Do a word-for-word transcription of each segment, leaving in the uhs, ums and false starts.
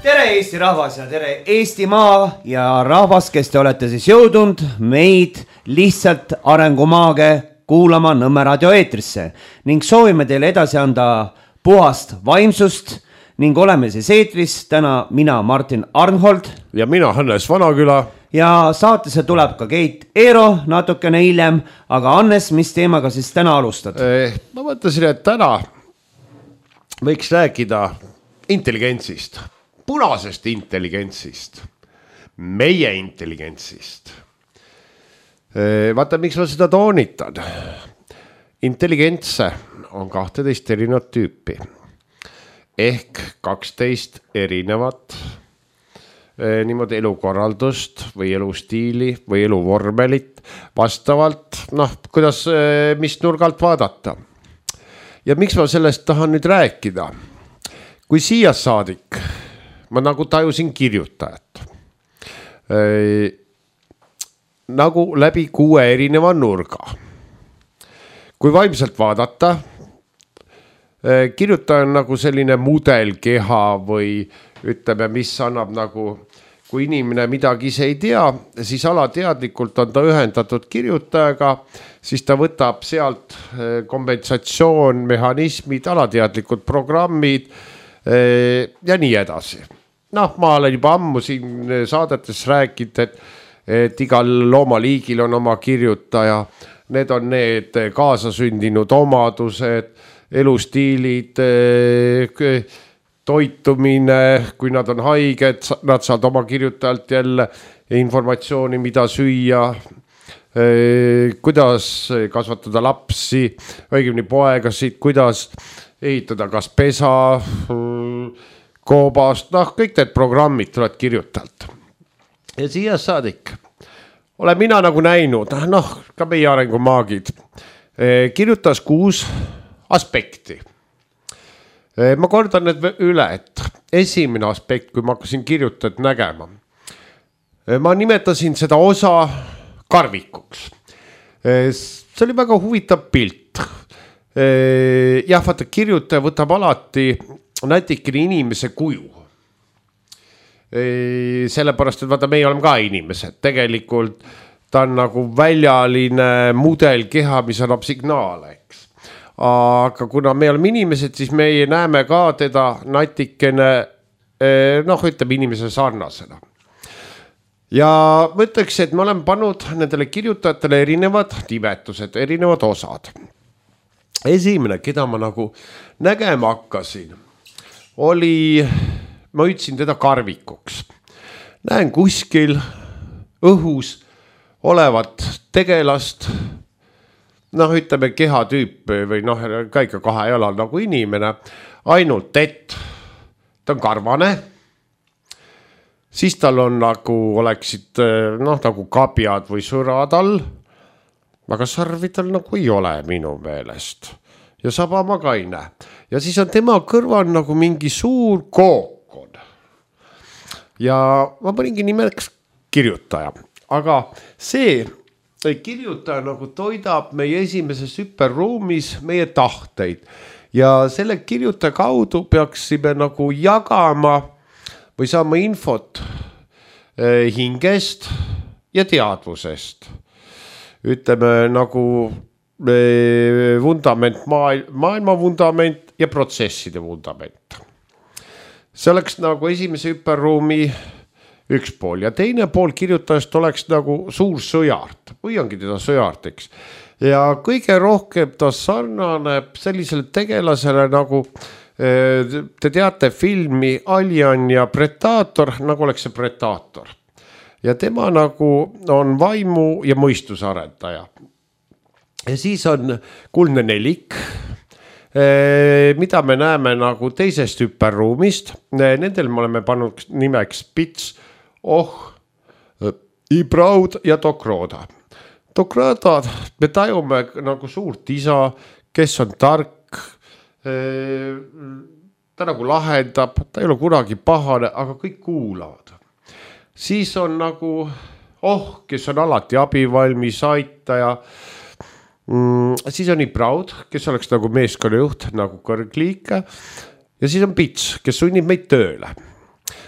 tere Eesti rahvas ja tere Eestimaa ja rahvas, kes te olete siis jõudnud meid lihtsalt arengumaage kuulama Nõmme raadio eetrisse ning soovime teile edasi anda puhast vaimsust ning oleme siis eetris täna mina Martin Arnhold ja mina Hannes Vanaküla ja saatesse tuleb ka Keit Eero natukene hiljem, aga Hannes, mis teemaga siis täna alustad? Eh, ma mõtlesin, et täna võiks rääkida intelligentsist, punasest intelligentsist, meie intelligentsist. Vaata, miks ma seda toonitan. Intelligentse on kahteteist erinevat tüüpi. Ehk kaksteist erinevat niimoodi elukorraldust või elustiili või eluvormelit vastavalt, noh, kuidas, mis nurgalt vaadata. Ja miks ma sellest tahan nüüd rääkida? Kui siia saadik, ma nagu tajusin kirjutajat. Äh, nagu läbi kuue erineva nurga. Kui vaimselt vaadata, äh, kirjutaja on nagu selline mudelkeha või ütleme, mis annab nagu, kui inimene midagi ise ei tea, siis alateadlikult on ta ühendatud kirjutajaga, siis ta võtab sealt kompensatsioon, mehhanismid, alateadlikud programmid ja nii edasi. Noh, ma olen juba ammu siin saadetes rääkinud, et, et igal loomaliigil on oma kirjutaja. Need on need kaasasündinud omadused, elustiilid, toitumine, kui nad on haiged, nad saavad oma kirjutajalt jälle informatsiooni, mida süüa, kuidas kasvatada lapsi, õigemini poegasid, kuidas ehitada kas pesa, koobast, noh, kõik need programmid tulevad kirjutajalt. Ja siia saadik olen mina nagu näinud, noh, ka meie arengumaagid, kirjutas kuus aspekti. Ma kordan need üle, et esimene aspekt, kui ma hakkasin kirjutajat nägema, ma nimetasin seda osa karvikuks. See oli väga huvitav pilt. Jah, vaata, kirjutaja võtab alati nätikene inimese kuju. Sellepärast, et vaata, meie oleme ka inimesed. Tegelikult ta on nagu väljaline mudelkeha, mis annab signaale, eks. Aga kuna me oleme inimesed, siis meie näeme ka teda natikene, noh, ütleme inimese sarnasena. Ja ma ütleks, et me oleme pannud nendele kirjutajatele erinevad nimetused, erinevad osad. Esimene, keda ma nagu nägema hakkasin, oli, ma ütlesin teda karvikuks. Näen kuskil õhus olevat tegelast, noh, ütleme kehatüüp või noh, ka ikka kahe jalal nagu inimene, ainult et ta on karvane, siis tal on nagu oleksid, noh, nagu kabjad või sõrad all, aga sarvi tal nagu ei ole minu meelest. Ja saba ma ka ei näe. Ja siis on tema kõrval nagu mingi suur kookon. Ja ma paningi nimeks kirjutaja. Aga see kirjutaja nagu toidab meie esimeses hüperruumis meie tahteid. Ja selle kirjutaja kaudu peaksime nagu jagama või saama infot hingest ja teadvusest. Ütleme nagu vundament, maailma vundament ja protsesside vundament. See oleks nagu esimese hüperruumi üks pool ja teine pool kirjutajast oleks nagu suur sõjart või ongi teda sõjart, eks. Ja kõige rohkem ta sarnaneb sellisele tegelasele nagu te teate filmi Alien ja Predator, nagu oleks see Predator. Ja tema nagu on vaimu ja mõistuse arendaja. Ja siis on kuldne nelik, mida me näeme nagu teisest hüperruumist. Nendel me oleme pannud nimeks Pits, Oh, Ibraud ja Dokroda. Dokroda me tajume nagu suurt isa, kes on tark, ta nagu lahendab, ta ei ole kunagi pahane, aga kõik kuulavad. Siis on nagu Oh, kes on alati abivalmis, aitaja. Mm, siis on Ibraud, kes oleks nagu meeskonnajuht, nagu kõrgliike. Ja siis on Pits, kes sunnib meid tööle.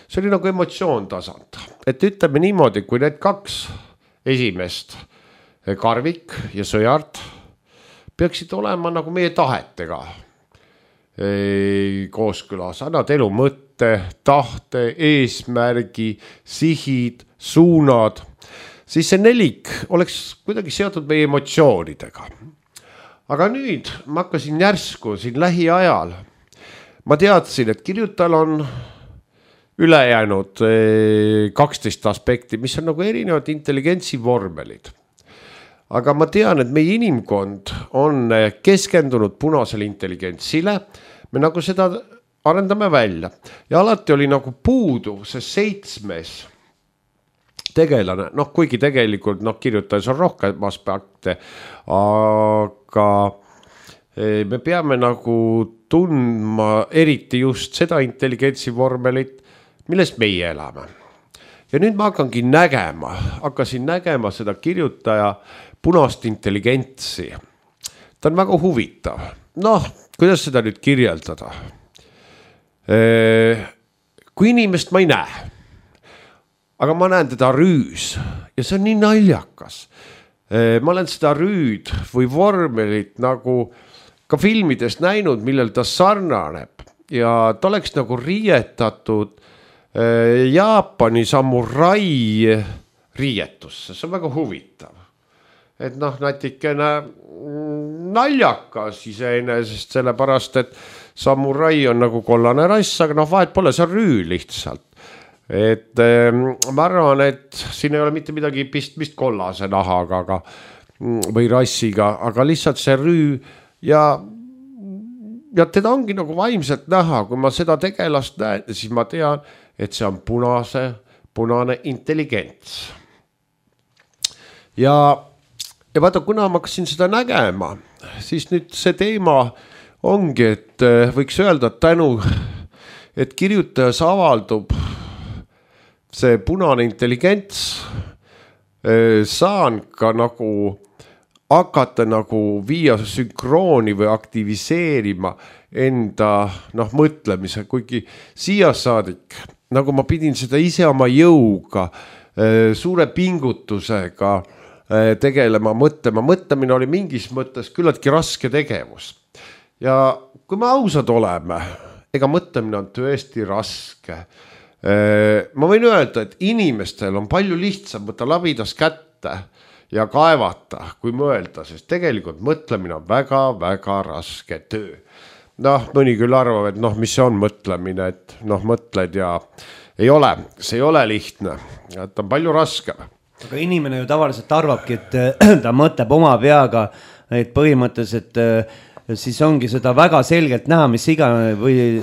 see oli nagu emotsioon tasand, et ütleme niimoodi, kui need kaks esimest, Karvik ja Sõjart, peaksid olema nagu meie tahetega kooskõlas, annad elu mõtte, tahte, eesmärgi, sihid, suunad, siis see nelik oleks kuidagi seotud meie emotsioonidega. Aga nüüd ma hakkasin järsku siin lähiajal, ma teadsin, et kirjutajal on ülejäänud kaksteist aspekti, mis on nagu erinevad intelligentsi vormelid. Aga ma tean, et meie inimkond on keskendunud punasele intelligentsile, me nagu seda arendame välja ja alati oli nagu puudu see seitsmes tegelane, noh kuigi tegelikult noh, kirjutajas on rohkem aspekte, aga me peame nagu tundma eriti just seda intelligentsi vormelit, millest meie elame. Ja nüüd ma hakkangi nägema, hakkasin nägema seda kirjutaja punast intelligentsi. Ta on väga huvitav. Noh, kuidas seda nüüd kirjeldada? Kui inimest ma ei näe, aga ma näen teda rüüs ja see on nii naljakas. Ma olen seda rüüd või vormelit nagu ka filmides näinud, millel ta sarnaneb ja ta oleks nagu riietatud Jaapani samurai riietusse, see on väga huvitav. Et noh, natikene naljakas iseenesest, sellepärast, et samurai on nagu kollane rass, aga noh, vahet pole, see on rüü lihtsalt. Et ma arvan, et siin ei ole mitte midagi pistmist kollase nahaga aga, või rassiga, aga lihtsalt see rüü ja, ja teda ongi nagu vaimselt näha, kui ma seda tegelast näen, siis ma tean, et see on punase, punane intelligents. Ja Ja vaata, kuna ma hakkasin seda nägema, siis nüüd see teema ongi, et võiks öelda tänu, et kirjutajas avaldub see punane intelligents, saan ka nagu hakata nagu viia sünkrooni või aktiviseerima enda noh, mõtlemise, kuigi siia saadik, nagu ma pidin seda ise oma jõuga, suure pingutusega tegelema, mõtlema. Mõtlemine oli mingis mõttes küllaltki raske tegevus. Ja kui me ausad oleme, ega mõtlemine on tõesti raske. Ma võin öelda, et inimestel on palju lihtsam võtta labidas kätte ja kaevata, kui mõelda, sest tegelikult mõtlemine on väga-väga raske töö. Noh, mõni küll arvab, et noh, mis see on mõtlemine, et noh, mõtled ja ei ole, see ei ole lihtne, et on palju raskem. Aga inimene ju tavaliselt arvabki, et ta mõtleb oma peaga, et põhimõtteliselt siis ongi seda väga selgelt näha, mis iga või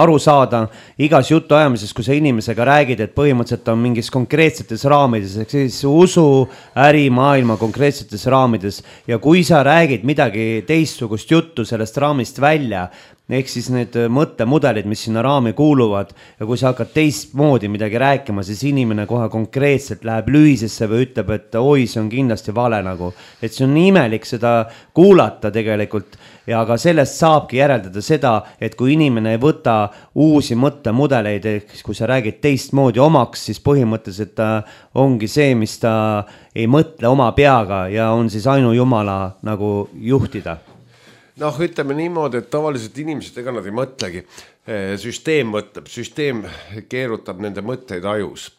aru saada igas jutu ajamises, kui sa inimesega räägid, et põhimõtteliselt on mingis konkreetsetes raamides, ehk siis usu, äri, maailma konkreetsetes raamides ja kui sa räägid midagi teistsugust juttu sellest raamist välja, ehk siis need mõttemudelid, mis sinna raami kuuluvad ja kui sa hakkad teistmoodi midagi rääkima, siis inimene kohe konkreetselt läheb lühisesse või ütleb, et oi, see on kindlasti vale nagu, et see on imelik seda kuulata tegelikult ja aga sellest saabki järeldada seda, et kui inimene ei võta uusi mõttemudeleid, ehk kui sa räägid teistmoodi omaks, siis põhimõtteliselt ta ongi see, mis ta ei mõtle oma peaga ja on siis ainu Jumala nagu juhtida. Noh, ütleme niimoodi, et tavaliselt inimesed, ega nad ei mõtlegi. Süsteem mõtleb, süsteem keerutab nende mõtteid ajus.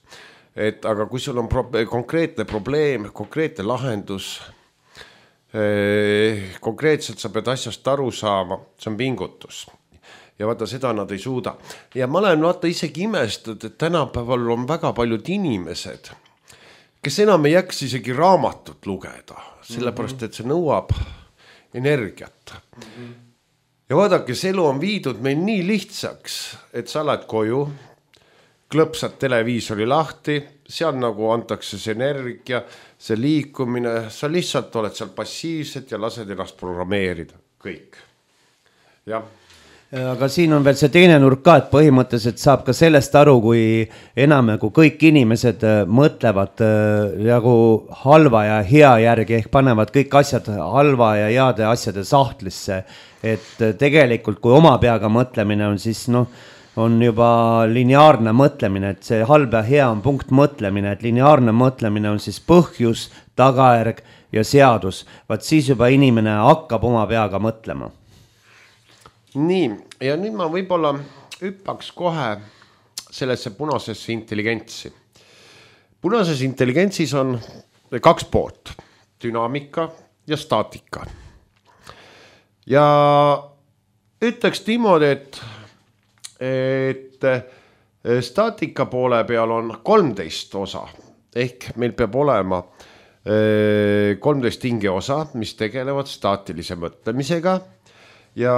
Et, aga kui sul on pro- konkreetne probleem, konkreetne lahendus, konkreetselt sa pead asjast aru saama, see on pingutus. Ja vaata, seda nad ei suuda. Ja ma olen vaata isegi imestanud, et tänapäeval on väga paljud inimesed, kes enam ei jääks isegi raamatut lugeda, sellepärast, et see nõuab energiat. Mm-hmm. Ja vaadake, see elu on viidud meil nii lihtsaks, et sa oled koju, klõpsad televiisori lahti, seal nagu antakse see energia, see liikumine, sa lihtsalt oled seal passiivselt ja lased ennast programmeerida. Kõik. Jah. Aga siin on veel see teine nurk ka, et põhimõtteliselt saab ka sellest aru, kui enam nagu kõik inimesed mõtlevad nagu halva ja hea järgi, ehk panevad kõik asjad halva ja heade asjade sahtlisse. Et tegelikult kui oma peaga mõtlemine on, siis noh, on juba lineaarne mõtlemine, et see halb ja hea on punkt mõtlemine, et lineaarne mõtlemine on siis põhjus, tagajärg ja seadus. Vaat siis juba inimene hakkab oma peaga mõtlema. Nii, ja nüüd ma võib-olla hüppaks kohe sellesse punasesse intelligentsi. Punases intelligentsis on kaks poolt, dünaamika ja staatika. Ja ütleks niimoodi, et, et staatika poole peal on kolmteist osa, ehk meil peab olema kolmteist hingeosa, mis tegelevad staatilise mõtlemisega ja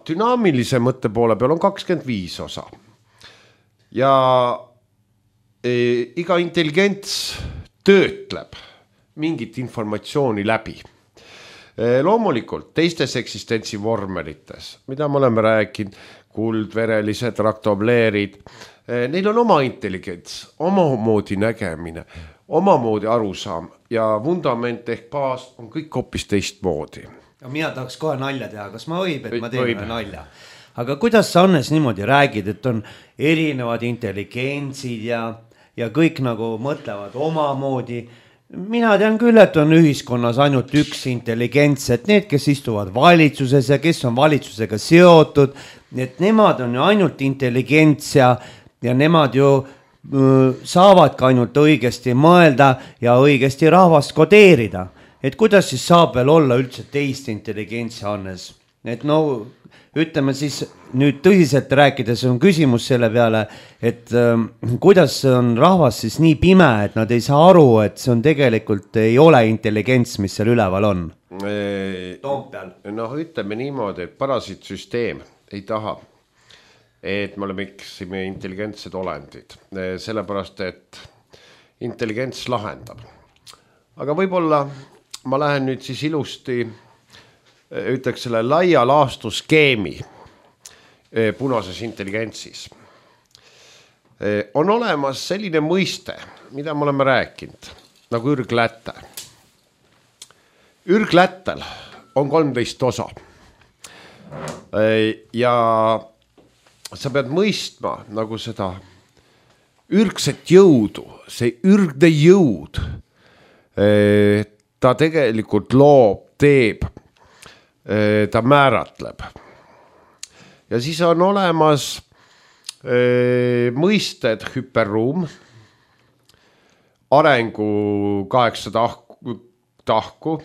dünaamilise mõtte poole peal on kakskümmend viis osa. Ja e, iga intelligents töötleb mingit informatsiooni läbi. E, loomulikult teistes eksistentsi vormelites, mida me oleme rääkinud, kuldverelised, raktobleerid, e, neil on oma intelligents, omamoodi nägemine, omamoodi arusaam ja vundament ehk baas on kõik hoopis teistmoodi. Ja mina tahaks kohe nalja teha, kas ma võib, et ma teen ühe nalja. Aga kuidas sa Annes niimoodi räägid, et on erinevad intelligentsid ja, ja kõik nagu mõtlevad omamoodi? Mina tean küll, et on ühiskonnas ainult üks intelligents, et need, kes istuvad valitsuses ja kes on valitsusega seotud, et nemad on ju ainult intelligents ja, ja nemad ju saavad ka ainult õigesti mõelda ja õigesti rahvast kodeerida. Et kuidas siis saab veel olla üldse teist intelligentsi, Hannes? Et no, ütleme siis nüüd tõsiselt rääkides on küsimus selle peale, et äh, kuidas on rahvas siis nii pime, et nad ei saa aru, et see on tegelikult ei ole intelligents, mis seal üleval on? Toompeal. No ütleme niimoodi, et parasiitsüsteem ei taha, et me oleme iksime intelligentsed olendid, sellepärast, et intelligents lahendab. Aga võib-olla ma lähen nüüd siis ilusti, ütleks selle laia laastuskeemi punases intelligentsis. On olemas selline mõiste, mida me oleme rääkinud, nagu ürgläte. Ürglätel on kolmteist osa. Ja sa pead mõistma nagu seda ürgset jõudu, see ürgne jõud, ta tegelikult loob, teeb, ta määratleb. Ja siis on olemas mõisted hüperruum, arengu kaheksa tahku, tahku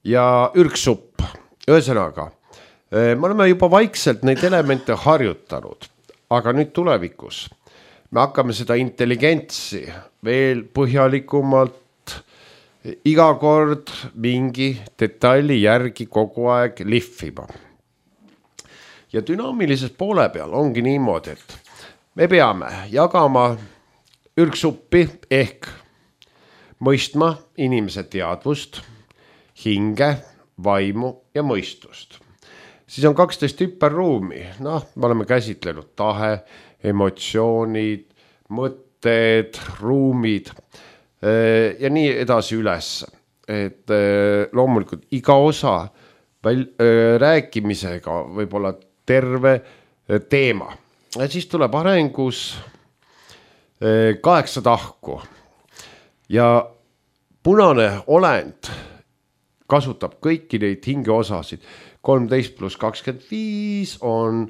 ja ürgsupp. Ühesõnaga, me oleme juba vaikselt neid elemente harjutanud, aga nüüd tulevikus me hakkame seda intelligentsi veel põhjalikumalt iga kord mingi detaili järgi kogu aeg lihvima. Ja dünaamilises poole peal ongi niimoodi, et me peame jagama ürgsuppi ehk mõistma inimese teadvust, hinge, vaimu ja mõistust. Siis on kaksteist hüperruumi, noh, me oleme käsitlenud tahe, emotsioonid, mõtted, ruumid ja nii edasi üles. Et loomulikult iga osa väl, rääkimisega võib olla terve teema. Ja siis tuleb arengus kaheksa tahku ja punane olend kasutab kõiki neid hingeosasid. kolmteist pluss kakskümmend viis on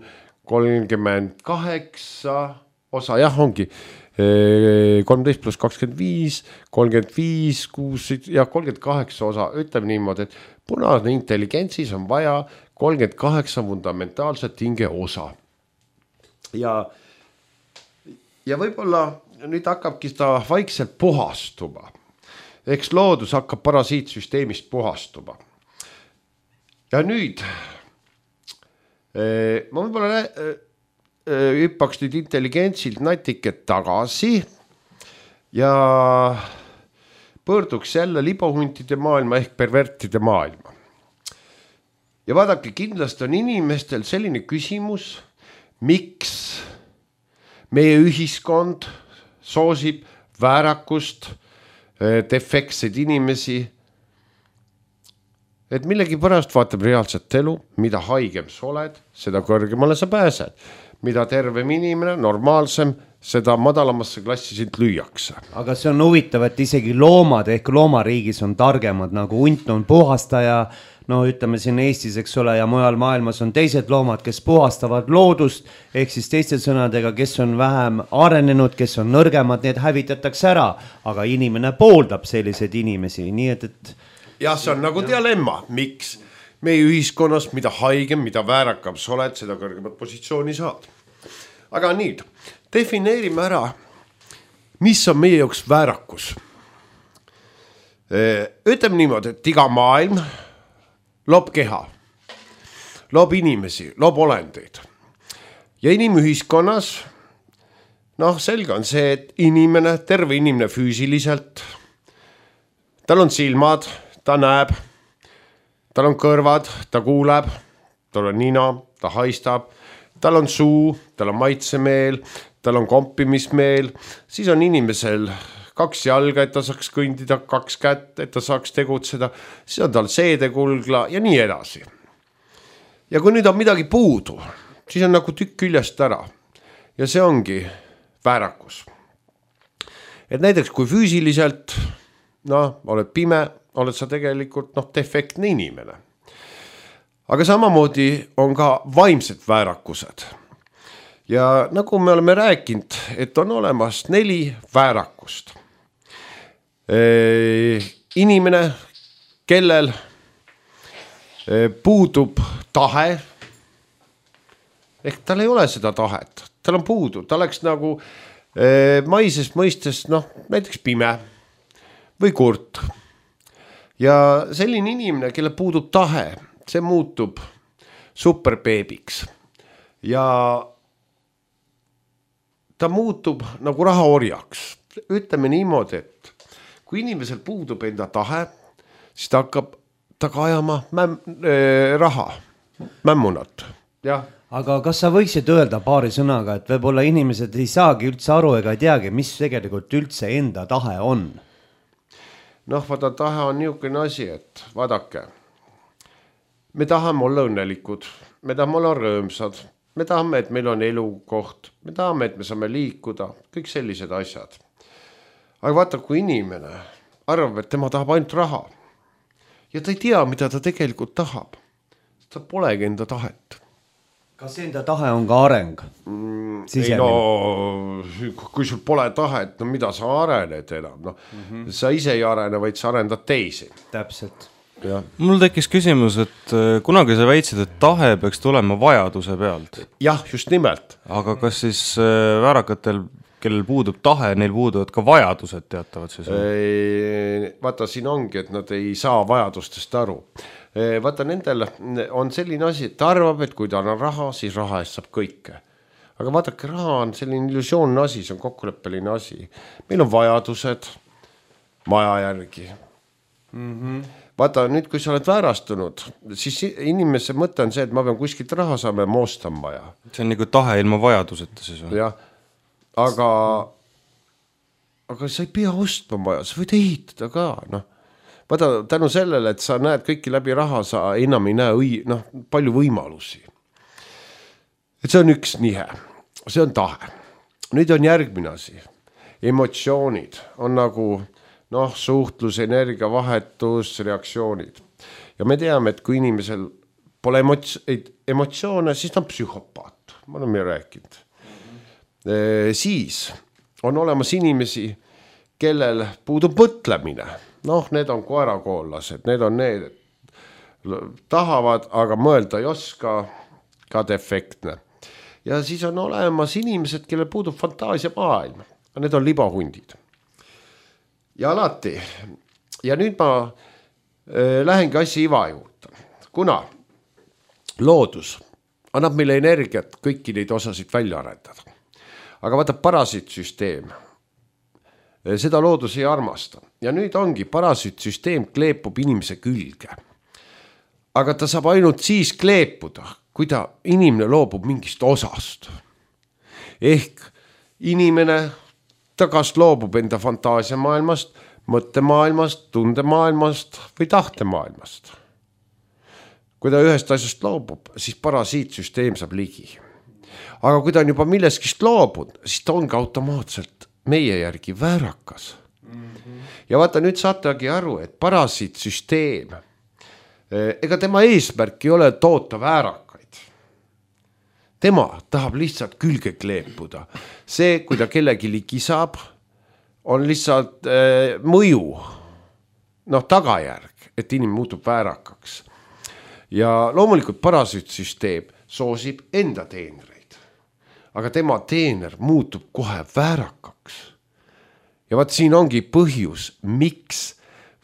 kolmkümmend kaheksa osa, jah ongi kolmteist pluss kakskümmend viis, kolmkümmend viis, kuus ja kolmkümmend kaheksa osa, ütleme niimoodi, et punane intelligentsis on vaja kolmkümmend kaheksa fundamentaalset hinge osa. Ja, ja võib-olla nüüd hakkabki seda vaikselt puhastuma. Eks loodus hakkab parasiitsüsteemist puhastuma. Ja nüüd ma võib-olla hüppaks nüüd intelligentsilt natiket tagasi ja pöörduks jälle libohuntide maailma ehk pervertide maailma. Ja vaadake, kindlasti on inimestel selline küsimus, miks meie ühiskond soosib väärakust, defektseid inimesi, et millegi pärast vaatab reaalset elu, mida haigem sa oled, seda kõrgemale sa pääsed. mida tervem inimene, normaalsem, seda madalamasse klassi sind lüüakse. Aga see on huvitav, et isegi loomad ehk loomariigis on targemad, nagu hunt on puhastaja, no ütleme siin Eestis, eks ole, ja mujal maailmas on teised loomad, kes puhastavad loodust, ehk siis teiste sõnadega, kes on vähem arenenud, kes on nõrgemad, need hävitatakse ära, aga inimene pooldab selliseid inimesi, nii et, et... jah, see on nagu dilemma, miks meie ühiskonnas, mida haigem, mida väärakam sa oled, seda kõrgemat positsiooni saad. Aga nüüd, defineerime ära, mis on meie jaoks väärakus. Ütleme niimoodi, et iga maailm loob keha, loob inimesi, loob olendeid. Ja inimühiskonnas, noh, selge on see, et inimene, terve inimene füüsiliselt, tal on silmad, ta näeb, tal on kõrvad, ta kuuleb, tal on nina, ta haistab, tal on suu, tal on maitsemeel, tal on kompimismeel, siis on inimesel kaks jalga, et ta saaks kõndida, kaks kätt, et ta saaks tegutseda, siis on tal seedekulgla ja nii edasi. Ja kui nüüd on midagi puudu, siis on nagu tükk küljest ära ja see ongi väärakus. Et näiteks kui füüsiliselt, noh, oled pime, oled sa tegelikult noh, defektne inimene. Aga samamoodi on ka vaimsed väärakused. Ja nagu me oleme rääkinud, et on olemas neli väärakust. Inimene, kellel puudub tahe, ehk tal ei ole seda tahet, tal on puudu, ta oleks nagu maisest mõistes, noh, näiteks pime või kurt. Ja selline inimene, kelle puudub tahe, see muutub superbeebiks ja ta muutub nagu rahaorjaks. Ütleme niimoodi, et kui inimesel puudub enda tahe, siis ta hakkab taga ajama mäm, äh, raha, mämmunat. Ja. Aga kas sa võiksid öelda paari sõnaga, et võib-olla inimesed ei saagi üldse aru ega ei teagi, mis tegelikult üldse enda tahe on? Noh, vaata, tahe on niisugune asi, et vaadake, me tahame olla õnnelikud, me tahame olla rõõmsad, me tahame, et meil on elukoht, me tahame, et me saame liikuda, kõik sellised asjad. Aga vaata, kui inimene arvab, et tema tahab ainult raha ja ta ei tea, mida ta tegelikult tahab, ta polegi enda tahet. Kas enda tahe on ka areng? Mm, ei no, kui sul pole tahet, no mida sa arened enam? No, mm-hmm. Sa ise ei arene, vaid sa arendad teisi. Täpselt. Ja. Mul tekkis küsimus, et kunagi sa väitsid, et tahe peaks tulema vajaduse pealt. Jah, just nimelt. Aga kas siis väärakatel, kellel puudub tahe, neil puuduvad ka vajadused teatavad siis? Vaata, siin ongi, et nad ei saa vajadustest aru. Vaata, nendel on selline asi, et ta arvab, et kui ta on raha, siis raha eest saab kõike. Aga vaadake, raha on selline illusioonne asi, see on kokkuleppeline asi. Meil on vajadused maja järgi. Mm-hmm. Vaata, nüüd kui sa oled väärastunud, siis inimese mõte on see, et ma pean kuskilt raha saama ja moostan maja. See on nagu tahe ilma vajaduseta siis või? Jah, aga, aga sa ei pea ostma maja, sa võid ehitada ka, noh. Vaata, tänu sellele, et sa näed kõiki läbi raha, sa enam ei näe õi, noh, palju võimalusi. Et see on üks nihe, see on tahe. Nüüd on järgmine asi. Emotsioonid on nagu, noh, suhtlus, energia, vahetus, reaktsioonid. Ja me teame, et kui inimesel pole emots- emotsioone, siis ta on psühhopaat. Ma olen meil rääkinud. E, siis on olemas inimesi, kellel puudub mõtlemine. Noh, need on koerakoollased, need on need, tahavad, aga mõelda ei oska, ka defektne. Ja siis on olemas inimesed, kellel puudub fantaasia maailm. Need on libahundid. Ja alati. Ja nüüd ma äh, lähengi asja iva juurde. Kuna loodus annab meile energiat kõiki neid osasid välja arendada. Aga vaata, parasiitsüsteem, seda loodus ei armasta. Ja nüüd ongi, parasiitsüsteem kleepub inimese külge. Aga ta saab ainult siis kleepuda, kui ta inimene loobub mingist osast. Ehk inimene, ta kas loobub enda fantaasiamaailmast, mõttemaailmast, tundemaailmast või tahtemaailmast. Kui ta ühest asjast loobub, siis parasiitsüsteem saab ligi. aga kui ta on juba milleskist loobud, siis ta ongi automaatselt meie järgi väärakas. Mm-hmm. Ja vaata, nüüd saategi aru, et parasiitsüsteem, ega tema eesmärk ei ole toota väärakaid. Tema tahab lihtsalt külge kleepuda. See, kui ta kellegi ligi saab, on lihtsalt äh, mõju, noh tagajärg, et inimene muutub väärakaks. Ja loomulikult parasiitsüsteem soosib enda teenreid, aga tema teener muutub kohe väärakaks. Ja vaat siin ongi põhjus, miks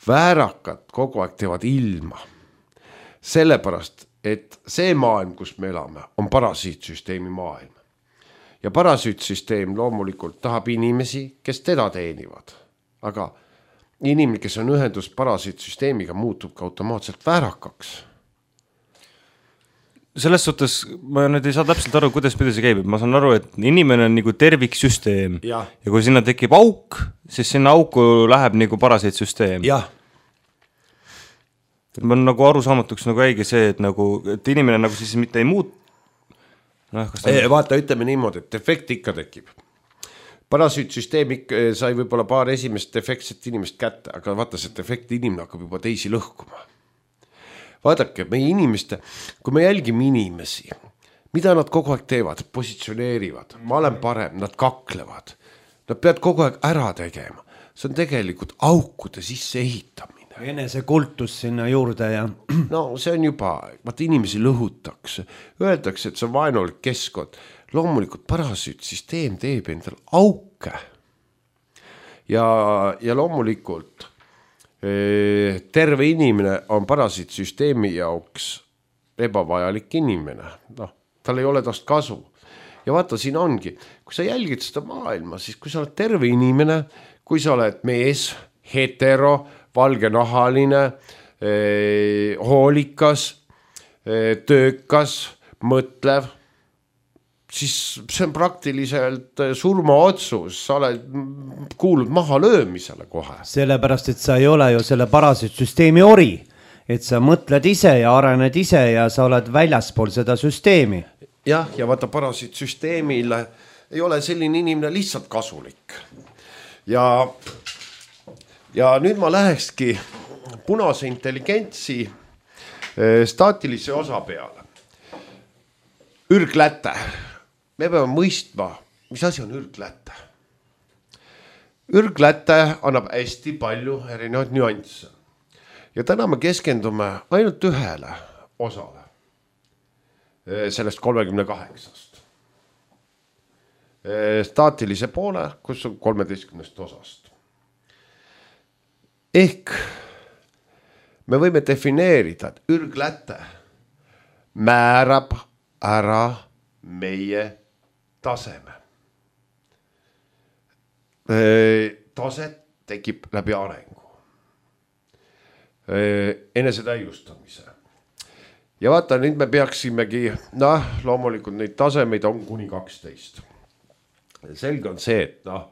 väärakad kogu aeg teevad ilma. Sellepärast, et see maailm, kus me elame, on parasiitsüsteemi maailm. Ja parasiitsüsteem loomulikult tahab inimesi, kes teda teenivad. Aga inimene, kes on ühendus parasiitsüsteemiga, muutub ka automaatselt väärakaks. Selles suhtes ma nüüd ei saa täpselt aru, kuidas pidi see käib. Ma saan aru, et inimene on nagu terviksüsteem ja. ja kui sinna tekib auk, siis sinna auku läheb nagu parasiitsüsteem. Jah. Ma on nagu arusaamatuks nagu äigi see, et, nagu, et inimene nagu siis mitte ei muut. No, ta... e, vaata, ütleme niimoodi, et defekt ikka tekib. Parasiitsüsteem sai võib-olla paar esimest defektset inimest kätte, aga vaata, see defekt inimene hakkab juba teisi lõhkuma. Vaadake, meie inimeste, kui me jälgime inimesi, mida nad kogu aeg teevad, positsioneerivad, ma olen parem, nad kaklevad, nad peavad kogu aeg ära tegema. See on tegelikult aukude sisse ehitamine. Enese kultus sinna juurde ja... No see on juba, vaat inimesi lõhutakse, öeldakse, et see on vaenulik keskkond. Loomulikult parasiitsüsteem teeb endal auke. Ja, ja loomulikult... terve inimene on parasiitsüsteemi jaoks ebavajalik inimene. No, tal ei ole tast kasu. Ja vaata, siin ongi, kui sa jälgid seda maailma, siis kui sa oled terve inimene, kui sa oled mees, hetero, valgenahaline, eh, hoolikas, eh, töökas, mõtlev, siis see on praktiliselt surmaotsus, sa oled kuulnud maha löömisele kohe. Sellepärast, et sa ei ole ju selle parasiitsüsteemi ori, et sa mõtled ise ja arened ise ja sa oled väljaspool seda süsteemi. Jah, ja vaata parasiitsüsteemile ei ole selline inimene lihtsalt kasulik. Ja, ja nüüd ma lähekski punase intelligentsi staatilise osa peale. Ürgläte. Me peame mõistma, mis asi on ürgläte. Ürgläte annab hästi palju erinevaid nüansse. Ja täna me keskendume ainult ühele osale sellest kolmekümne kaheksast. Staatilise poole, kus on kolmeteistkümnest osast. Ehk me võime defineerida, et ürgläte määrab ära meie taseme. Taset tekib läbi arengu. Enesetäiustamise. Ja vaata, nüüd me peaksimegi, noh, loomulikult neid tasemeid on kuni kaksteist. Selge on see, et noh,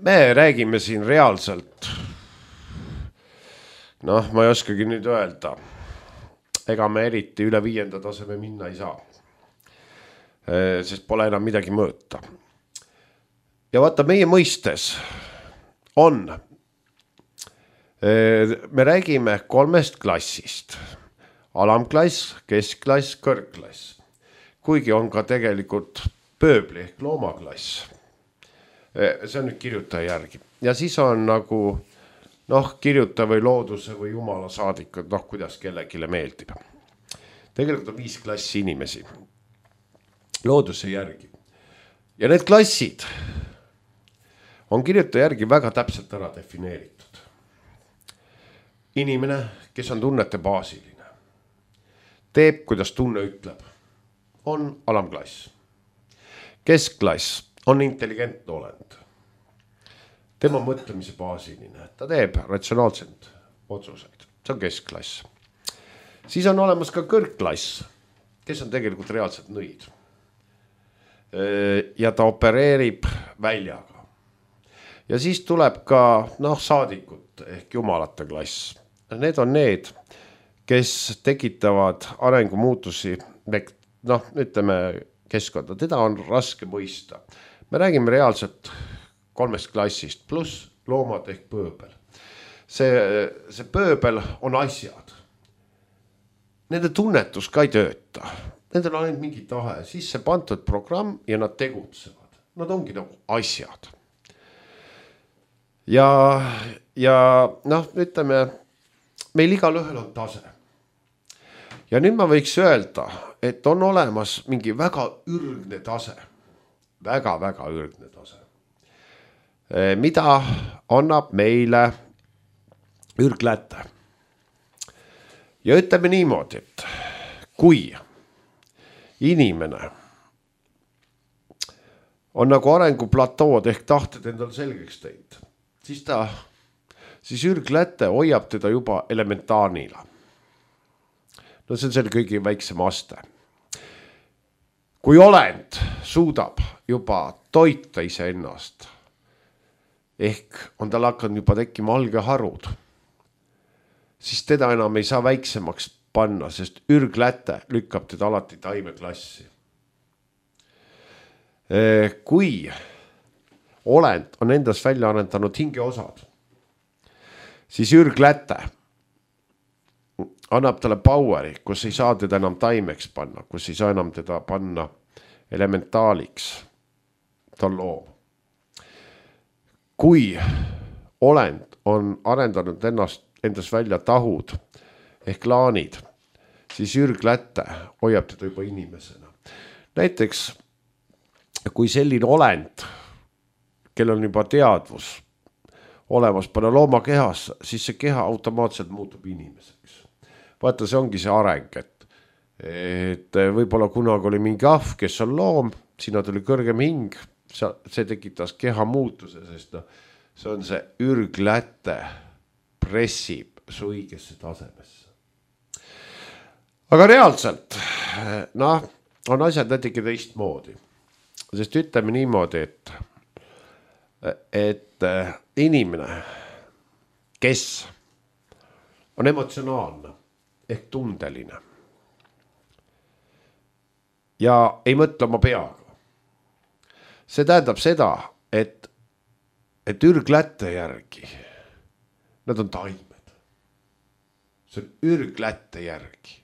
me räägime siin reaalselt, noh, ma ei oskagi nüüd öelda, ega me eriti üle viienda taseme minna ei saa. Sest pole enam midagi mõõta. Ja vaata, meie mõistes on, me räägime kolmest klassist, alamklass, keskklass, kõrgklass, kuigi on ka tegelikult pööbli ehk loomaklass. See on nüüd kirjutaja järgi. Ja siis on nagu, noh, kirjuta või looduse või jumala saadikud, noh, kuidas kellegile meeldib. Tegelikult on viis klassi inimesi. Looduse järgi. Ja need klassid on kirjutaja järgi väga täpselt ära defineeritud. Inimene, kes on tunnete baasiline, teeb, kuidas tunne ütleb, on alamklass. Keskklass on intelligentne olend. Tema mõtlemise baasiline, ta teeb ratsionaalselt otsuseid. See on keskklass. Siis on olemas ka kõrgklass, kes on tegelikult reaalselt nõid. Ja ta opereerib väljaga. Ja siis tuleb ka, noh, saadikud ehk jumalate klass. Need on need, kes tekitavad arengumuutusi, noh, ütleme, keskkonda, teda on raske mõista. Me räägime reaalselt kolmest klassist, pluss loomad ehk pööbel. See, see pööbel on asjad. Nende tunnetus ka ei tööta. Nendel on ainult mingi tahe, sisse pandud programm ja nad tegutsevad. Nad ongi nagu asjad. Ja, ja noh, ütleme, meil igal ühel on tase. Ja nüüd ma võiks öelda, et on olemas mingi väga ürgne tase. Väga, väga ürgne tase. Mida annab meile ürgläte. Ja ütleme niimoodi, et kui inimene on nagu arenguplatoood ehk tahted endal selgeks teinud, siis ta, siis ürgläte hoiab teda juba elementaarnila. No see on selle kõige väiksem aste. Kui olend suudab juba toita iseennast, ehk on tal hakanud juba tekkima algeharud, siis teda enam ei saa väiksemaks panna, sest ürgläte lükkab teda alati taimeklassi. Kui olend on endas välja arendanud hingeosad, siis ürgläte annab talle poweri, kus ei saa teda enam taimeks panna, kus ei saa enam teda panna elementaaliks. Ta on loom. Kui olend on arendanud ennast, endas välja tahud ehk laanid, siis ürgläte hoiab teda juba inimesena. Näiteks, kui selline olend, kellel on juba teadvus olemas panna looma kehas, siis see keha automaatselt muutub inimeseks. Vaata, see ongi see areng, et, et võib-olla kunagi oli mingi ahv, kes on loom, sinna tuli kõrgem hing, see tekitas keha muutuse, sest no, see on see ürgläte pressib su õigesse tasemesse. Aga reaalselt, noh, on asjad natuke teist moodi. Sest ütleme niimoodi, et, et inimene, kes on emotsionaalne ehk tundeline ja ei mõtle oma peaga. See tähendab seda, et, et ürgläte järgi, nad on taimed. See on ürgläte järgi.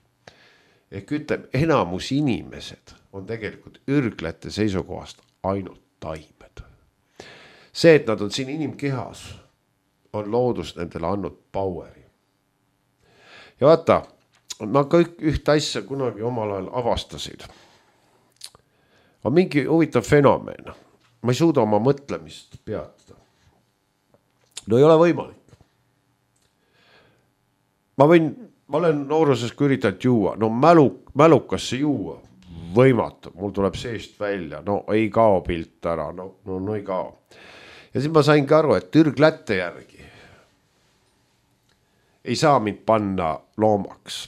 Ehk ütleb, enamus inimesed on tegelikult ürgläte seisukohast ainult taimed. See, et nad on siin inimkehas, on loodus nendele andnud poweri. Ja vaata, ma kõik üht asja kunagi omal ajal avastasid. On mingi huvitav fenomen. Ma ei suuda oma mõtlemist peatada. No ei ole võimalik. Ma võin, ma olen nooruses kui üritanud juua. No mälu, mälukasse juua võimatu. Mul tuleb seest välja. No ei kao pilt ära. No, no, no ei kao. Ja siis ma saingi aru, et ürgläte järgi ei saa mind panna loomaks.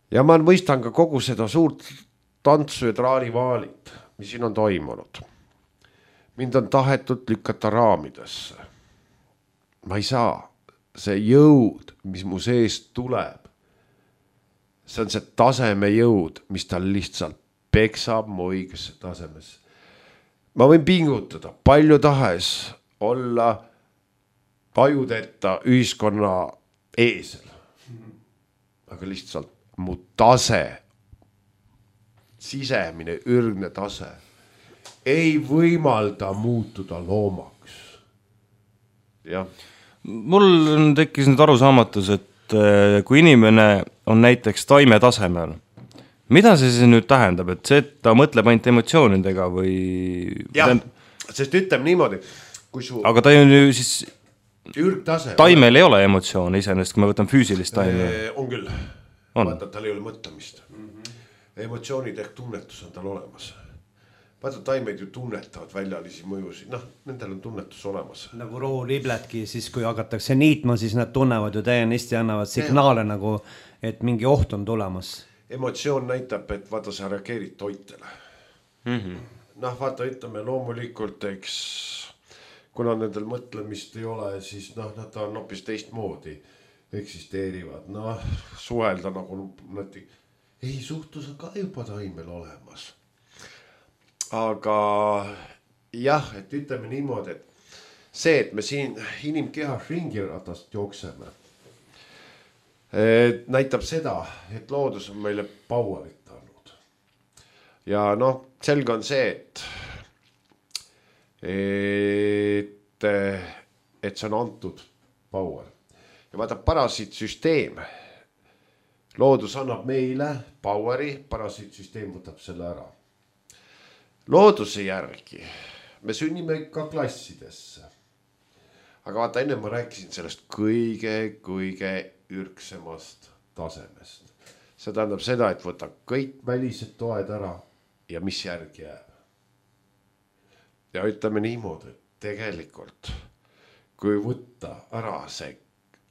Ja ma mõistan ka kogu seda suurt tantsu ja traalivaalit, mis siin on toimunud. Mind on tahetud lükata raamidesse. Ma ei saa. See jõud, mis mu seest tuleb, see on see taseme jõud, mis tal lihtsalt peksab mu õigesse tasemesse. Ma võin pingutada palju tahes olla tajudeta ühiskonna eesel. Aga lihtsalt mu tase, sisemine ürgne tase ei võimalda muutuda loomaks. Jah. Mul tekkis nüüd arusaamatus, et kui inimene on näiteks taime tasemel, mida see siis nüüd tähendab, et see, et ta mõtleb ainult emotsioonidega või... Jah, sest ütleme niimoodi, kui su... Aga ta on ju siis... Ürgtase... Taimel ei ole emotsioone iseenesest, kui me võtame füüsilist taime. On küll. On. Vaata, tal ei ole mõtlemist. Mm-hmm. Emotsioonid ehk tunnetus on tal olemas. Vaata, taimeid ju tunnetavad väljalisi mõjusid. Noh, nendel on tunnetus olemas. Nagu roolibledki, siis kui hakatakse niitma, siis nad tunnevad ju täiesti ja annavad signaale ja. Nagu, et mingi oht on tulemas. Emotsioon näitab, et vaata, sa reageerid toitele. Mm-hmm. Noh, vaata, ütleme loomulikult, eks, kuna nendel mõtlemist ei ole, siis noh, nad on hoopis teistmoodi eksisteerivad. Noh, suhelda nagu nad ei suhtus on ka juba taimel olemas. aga jah, et ütleme niimoodi, et see, et me siin inimkehas ringiratast jookseme, näitab seda, et loodus on meile powerit andnud. Ja noh, selge on see, et, et, et see on antud power. Ja vaata, parasiitsüsteem, loodus annab meile poweri, parasiitsüsteem võtab selle ära. Looduse järgi me sünnime ka klassidesse. Aga vaata, enne ma rääkisin sellest kõige, kõige ürksemast tasemest. See tähendab seda, et võta kõik välised toed ära ja mis järgi jääb. Ja ütleme niimoodi, et tegelikult, kui võtta ära see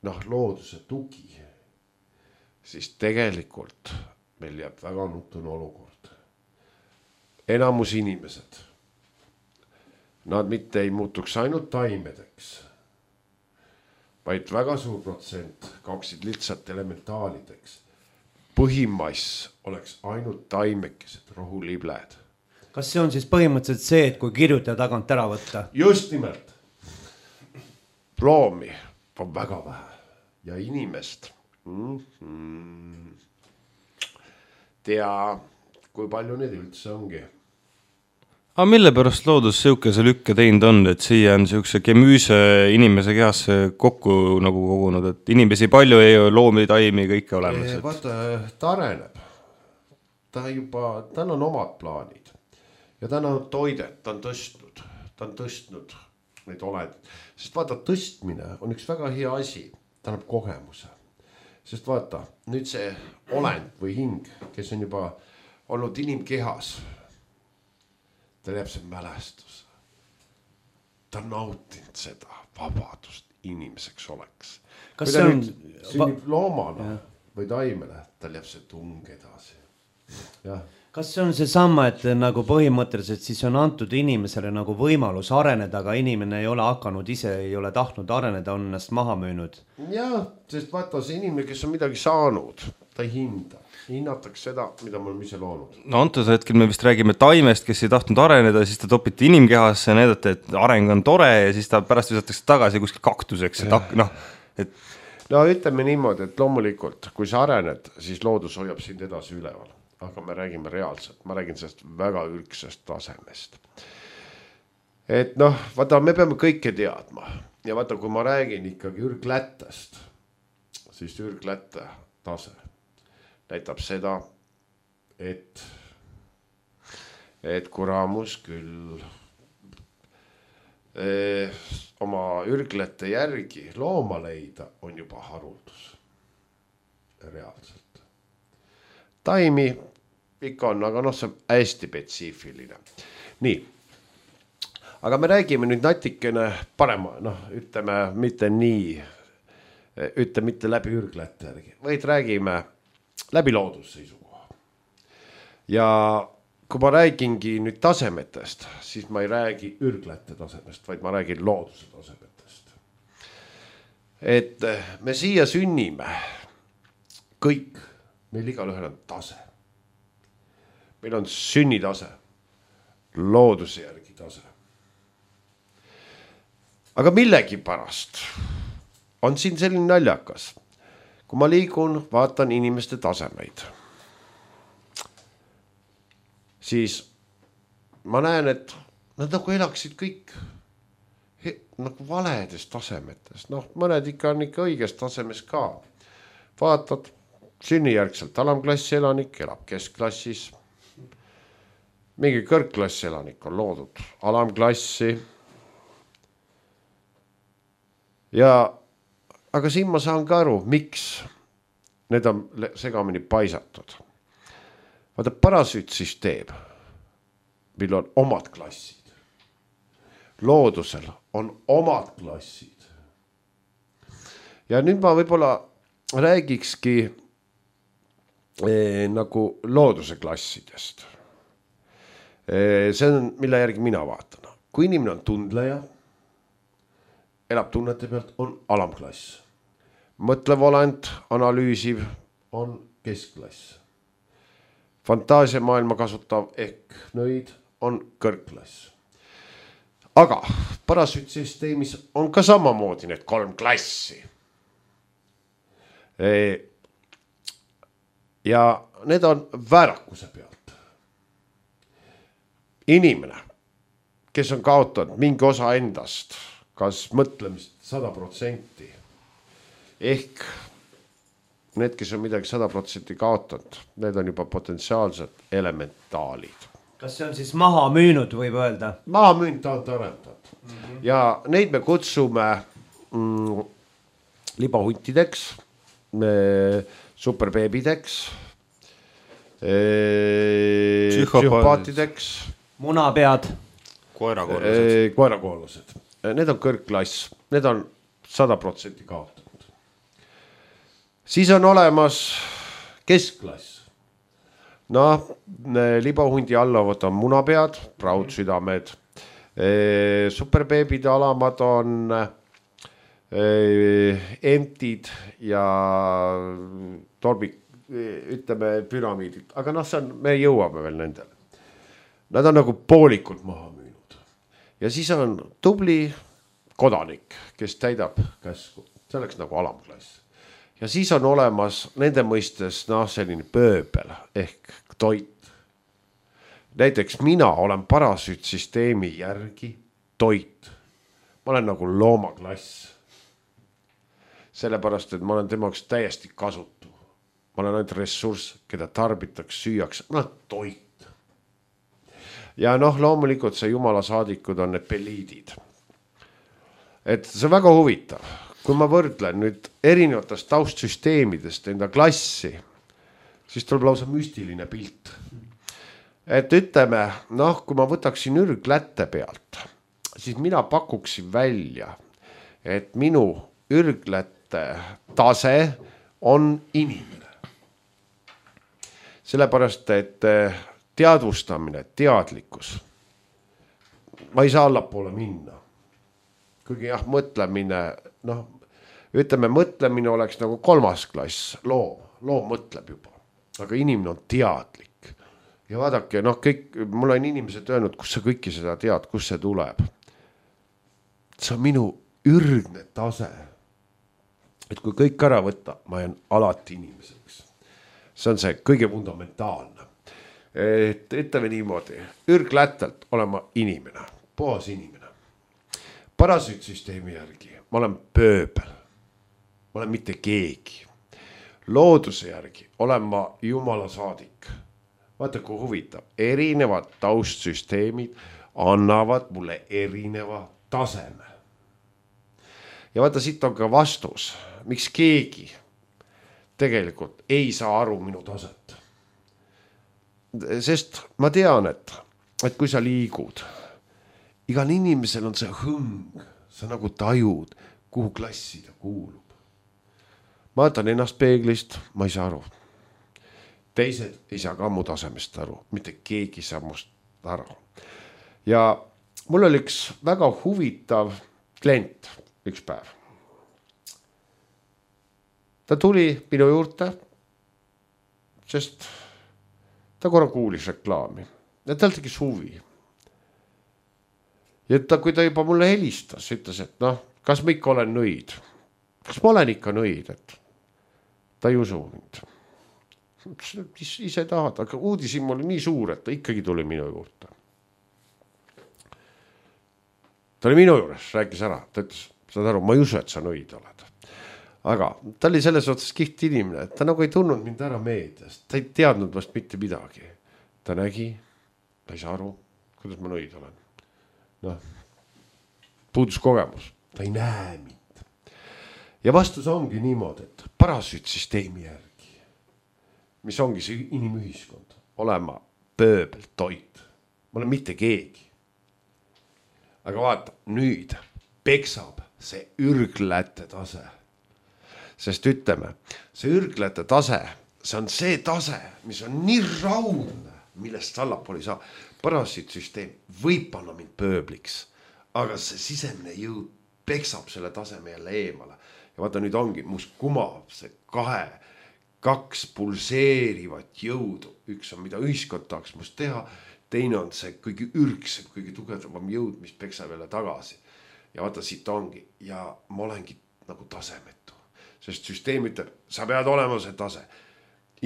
noh, looduse tugi, siis tegelikult meil jääb väga nutune olukord. Enamus inimesed, nad mitte ei muutuks ainult taimedeks, vaid väga suur protsent kaoksid lihtsalt elementaalideks. Põhimass oleks ainult taimekesed, rohulibled. Kas see on siis põhimõtteliselt see, et kui kirjutaja tagant ära võtta? Just nimelt. Loomi on väga vähe ja inimest mm-hmm. tea, kui palju neid üldse ongi. Aga mille pärast loodus siukese lükke teinud on, et siia on siukse kemüüse inimese kehasse kokku nagu kogunud, et inimesi palju ei ole, loomi, taimi, kõike olemas. Et... Vaata, ta areneb. Ta juba, tal on omad plaanid. Ja ta on toidet, ta on tõstnud. Ta on tõstnud neid olendid. Sest vaata, tõstmine on üks väga hea asi. Ta annab kogemuse. Sest vaata, nüüd see olend või hing, kes on juba olnud inimkehas, ta jääb see mälestus. Ta on nautinud seda vabadust inimeseks oleks. Kas kui ta on... nüüd sünnib loomana ja. Või taimele, ta jääb see tung edasi. Ja. Kas see on see sama, et nagu põhimõtteliselt siis on antud inimesele nagu võimalus areneda, aga inimene ei ole hakanud ise, ei ole tahtnud areneda, on ennast maha müünud? Jah, sest vaata see inimene, kes on midagi saanud, ta ei hinda. Hinnatakse seda, mida me oleme ise loonud. No antud hetkel me vist räägime taimest, kes ei tahtnud areneda, siis ta topiti inimkehasse ja näidati, et areng on tore ja siis ta pärast visatakse tagasi kuskil kaktuseks. Et, no, et... no ütleme niimoodi, et loomulikult, kui sa arened, siis loodus hoiab sind edasi üleval. Aga me räägime reaalselt, ma räägin sellest väga ürksest tasemest. Et noh, vaata, me peame kõike teadma. Ja vaata, kui ma räägin ikkagi ürglättest, siis ürglätte tase näitab seda, et, et kuramus küll eh, oma ürglete järgi looma leida on juba haruldus. Reaalselt. Taimi ikka on, aga noh, see on hästi spetsiifiline. Nii, aga me räägime nüüd natikene parema, noh, ütleme mitte nii, ütle mitte läbi ürglete järgi, vaid räägime läbi loodusseisukoha. Ja kui ma räägingi nüüd tasemetest, siis ma ei räägi ürglete tasemest, vaid ma räägin looduse tasemetest. Et me siia sünnime kõik, meil igal ühel on tase. Meil on sünnitase, looduse järgi tase. Aga millegi pärast on siin selline naljakas. Kui ma liigun, vaatan inimeste tasemeid, siis ma näen, et nad nagu elaksid kõik nagu valedes tasemetes. Noh, mõned ikka on ikka õiges tasemes ka. Vaatad, sünnijärgselt alamklassi elanik elab keskklassis. Mingi kõrgklassi elanik on loodud alamklassi. Ja, aga siin ma saan ka aru, miks need on segamini paisatud. Vaata, parasüütsüsteem, mil on omad klassid. Loodusel on omad klassid. Ja nüüd ma võib-olla räägikski eh, nagu looduse klassidest. Eh, see on, mille järgi mina vaatan. Kui inimene on tundleja, elab tunnete pealt, on alamklass. Mõtlev olend, analüüsiv on keskklass. Fantaasiamaailma kasutav ehk nõid on kõrgklass. Aga parasütsüsteemis on ka samamoodi need kolm klassi. Ja need on väärakuse pealt. Inimene, kes on kaotanud mingi osa endast, kas mõtlemist sada protsenti, ehk need, kes on midagi sada protsenti kaotanud, need on juba potentsiaalsed elementaalid. Kas see on siis maha müünud, võib öelda? Maha müünud ta on tarendatud. Mm-hmm. Ja neid me kutsume mm, libahuntideks, superbeebideks, psühhopaatideks, munapead, koerakoorlused. koerakoorlused. Need on kõrgklass, need on sada protsenti kaotanud. Siis on olemas keskklass. Noh, libahundi allavad on munapead, praudsüdamed, superbeebide alamad on emptid ja torbik, ütleme püramiidid, aga noh, see on, me jõuame veel nendele. Nad on nagu poolikult maha müünud. Ja siis on tubli kodanik, kes täidab käsku, see oleks nagu alamklass. Ja siis on olemas nende mõistes noh, selline pööbel ehk toit. Näiteks mina olen parasütsüsteemi järgi toit. Ma olen nagu loomaklass. Sellepärast, et ma olen temaks täiesti kasutu. Ma olen ainult ressurss, keda tarbitaks, süüaks. Ma olen toit. Ja noh, loomulikult see jumala saadikud on need peliidid. Et see on väga huvitav. Kui ma võrdlen nüüd erinevatest taustsüsteemidest enda klassi, siis tuleb lausa müstiline pilt. Et ütleme, noh, kui ma võtaksin ürglätte pealt, siis mina pakuksin välja, et minu ürglätte tase on inimene. Sellepärast, et teadvustamine, teadlikkus, ma ei saa allapoole minna. Kuigi jah, mõtlemine, noh, ütleme, mõtlemine oleks nagu kolmas klass, loom, loom mõtleb juba, aga inimene on teadlik. Ja vaadake, noh, kõik, mul on inimesed öelnud, kus sa kõiki seda tead, kus see tuleb. See on minu ürgne tase. Et kui kõik ära võtta, ma jään alati inimeseks. See on see kõige fundamentaalne. Et ütleme niimoodi, ürglättelt olen ma inimene, puhas inimene. Parasütsüsteemi järgi ma olen pööbel, ma olen mitte keegi. Looduse järgi olen ma jumala saadik. Vaata, kui huvitav, erinevad taustsüsteemid annavad mulle erineva taseme. Ja vaata, siit on ka vastus, miks keegi tegelikult ei saa aru minu taset. Sest ma tean, et, et kui sa liigud, igal inimesel on see hõng, sa nagu tajud, kuhu klassi ta kuulub. Ma vaatan ennast peeglist, ma ei saa aru. Teised ei saa ka mu tasemest aru, mitte keegi saa must aru. Ja mul oli üks väga huvitav klient üks päev. Ta tuli minu juurde, sest ta korra kuulis reklaami ja tal tegis huvi. Ja ta, kui ta juba mulle helistas, ütles, et noh, kas ma ikka olen nõid? Kas ma olen ikka nõid? Et ta ei usu mind. Ise tahad, aga uudisim oli nii suur, et ta ikkagi tuli minu juurde. Ta oli minu juures, rääkis ära. Ta ütles, saad aru, ma ei usu, et sa nõid oled. Aga ta oli selles otsas kiht inimene, et ta nagu ei tundnud mind ära meediast. Ta ei teadnud vast mitte midagi. Ta nägi, ta ei saa aru, kuidas ma nõid olen. Noh, puudus kogemus, ta ei näe mind. Ja vastus ongi niimoodi, et parasütsüsteemi järgi, mis ongi see inimühiskond, olema pööbel toit. Ma olen mitte keegi. Aga vaata, nüüd peksab see ürglätte tase. Sest ütleme, see ürglätte tase, see on see tase, mis on nii raudne, millest allapool ei saa. Parasütsüsteem võib panna mind pööbliks, aga see sisemine jõud peksab selle taseme jälle eemale. Ja vaata, nüüd ongi, mus kumab see kahe, kaks pulseerivat jõudu. Üks on, mida ühiskond tahaks must teha, teine on see kõige ürgsem, kõige tugevam jõud, mis peksab jälle tagasi. Ja vaata, siit ongi. Ja ma olengi nagu tasemetu. Sest süsteem ütleb, sa pead olema see tase.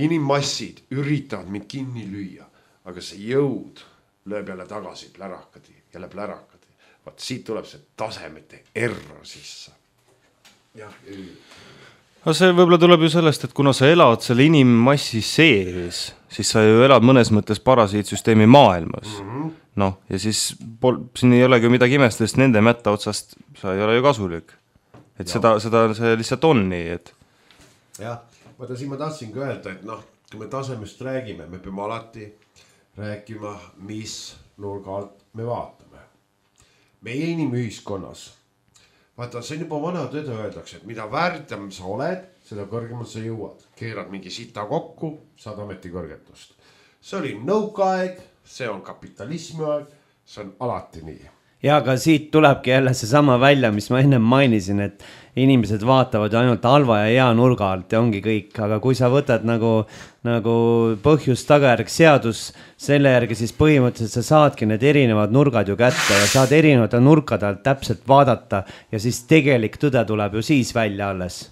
Inimmassid üritavad mind kinni lüüa, aga see jõud lööb jälle tagasi plärakadi, jälle plärakadi. Vaat siit tuleb see tasemete error sisse. Jah, no see võib-olla tuleb ju sellest, et kuna sa elad selle inimmassi sees, siis sa ju elad mõnes mõttes parasiitsüsteemi maailmas. Mm-hmm. Noh, ja siis pol, siin ei olegi midagi imest, sest nende mätta otsast sa ei ole ju kasulik. Et ja. seda, seda see lihtsalt on nii, et... Jah, vaata siin ma tahtsin ka öelda, et noh, kui me tasemest räägime, me peame alati rääkima, mis nurga alt me vaatame. Meie inimühiskonnas, vaata, see on juba vana tõde öeldakse, et mida väärtem sa oled, seda kõrgemalt sa jõuad. Keerad mingi sita kokku, saad ametikõrgetust. See oli nõukaaeg, see on kapitalismi aeg, see on alati nii. Ja aga siit tulebki jälle see sama välja, mis ma ennem mainisin, et inimesed vaatavad ainult halva ja hea nurga alt ja ongi kõik. Aga kui sa võtad nagu, nagu põhjus tagajärg seadus selle järgi, siis põhimõtteliselt sa saadki need erinevad nurgad ju kätte ja saad erinevate nurkade alt täpselt vaadata ja siis tegelik tõde tuleb ju siis välja alles.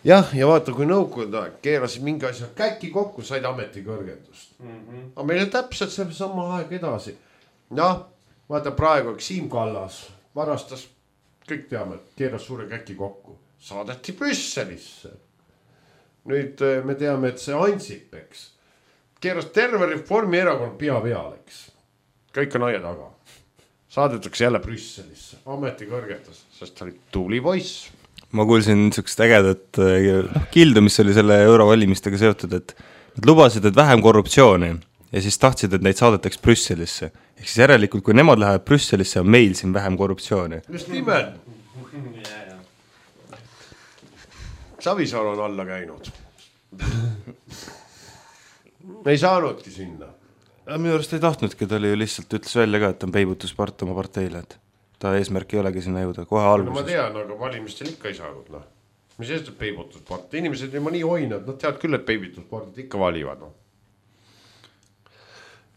Jah, ja vaata, kui nõukogude aeg keerasid mingi asja käki kokku, said ametikõrgendust. Mm-hmm. Aga meil on täpselt see sama aeg edasi. Jah, vaata praegu, Siim Kallas varastas, kõik teame, keeras suure käki kokku, saadeti Brüsselisse. Nüüd me teame, et see Ansip, eks, keeras terve Reformierakond pea pealeks. Kõik on aia taga. Saadetakse jälle Brüsselisse, ametikõrgetas, sest ta oli tubli poiss. Ma kuulsin niisugust ägedat kildu, mis oli selle eurovalimistega seotud, et nad lubasid, et vähem korruptsiooni ja siis tahtsid, et neid saadetaks Brüsselisse. Ehk siis järelikult, kui nemad lähevad Brüsselisse, on meil siin vähem korruptsiooni. Just nimelt. Savisaar on alla käinud. Me ei saanudki sinna. Minu arust ei tahtnudki, ta oli ju lihtsalt ütles välja ka, et on peibutuspart oma parteile, et ta eesmärk ei olegi sinna jõuda, kohe alguses. No ma tean, aga valimistel ikka ei saanud. No. Mis eest peibutuspart? Inimesed juba nii hoinad, nad teavad küll, et peibutuspartid ikka valivad. No.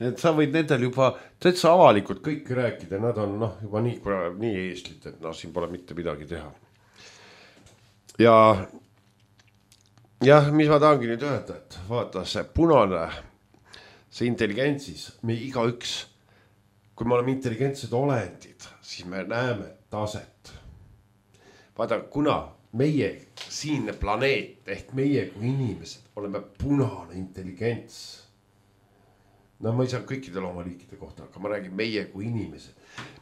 Et sa võid nendel juba täitsa avalikult kõik rääkida, nad on noh, juba nii, nii eeslit, et noh, siin pole mitte midagi teha. Ja jah, mis ma tahangi nüüd öelda, et vaata see punane, see intelligentsis, me iga üks, kui me oleme intelligentsed olendid, siis me näeme taset. Vaata, kuna meie siinne planeet ehk meie kui inimesed oleme punane intelligents, no ma ei saa kõikidel oma liikide kohta, aga ma räägin meie kui inimesed.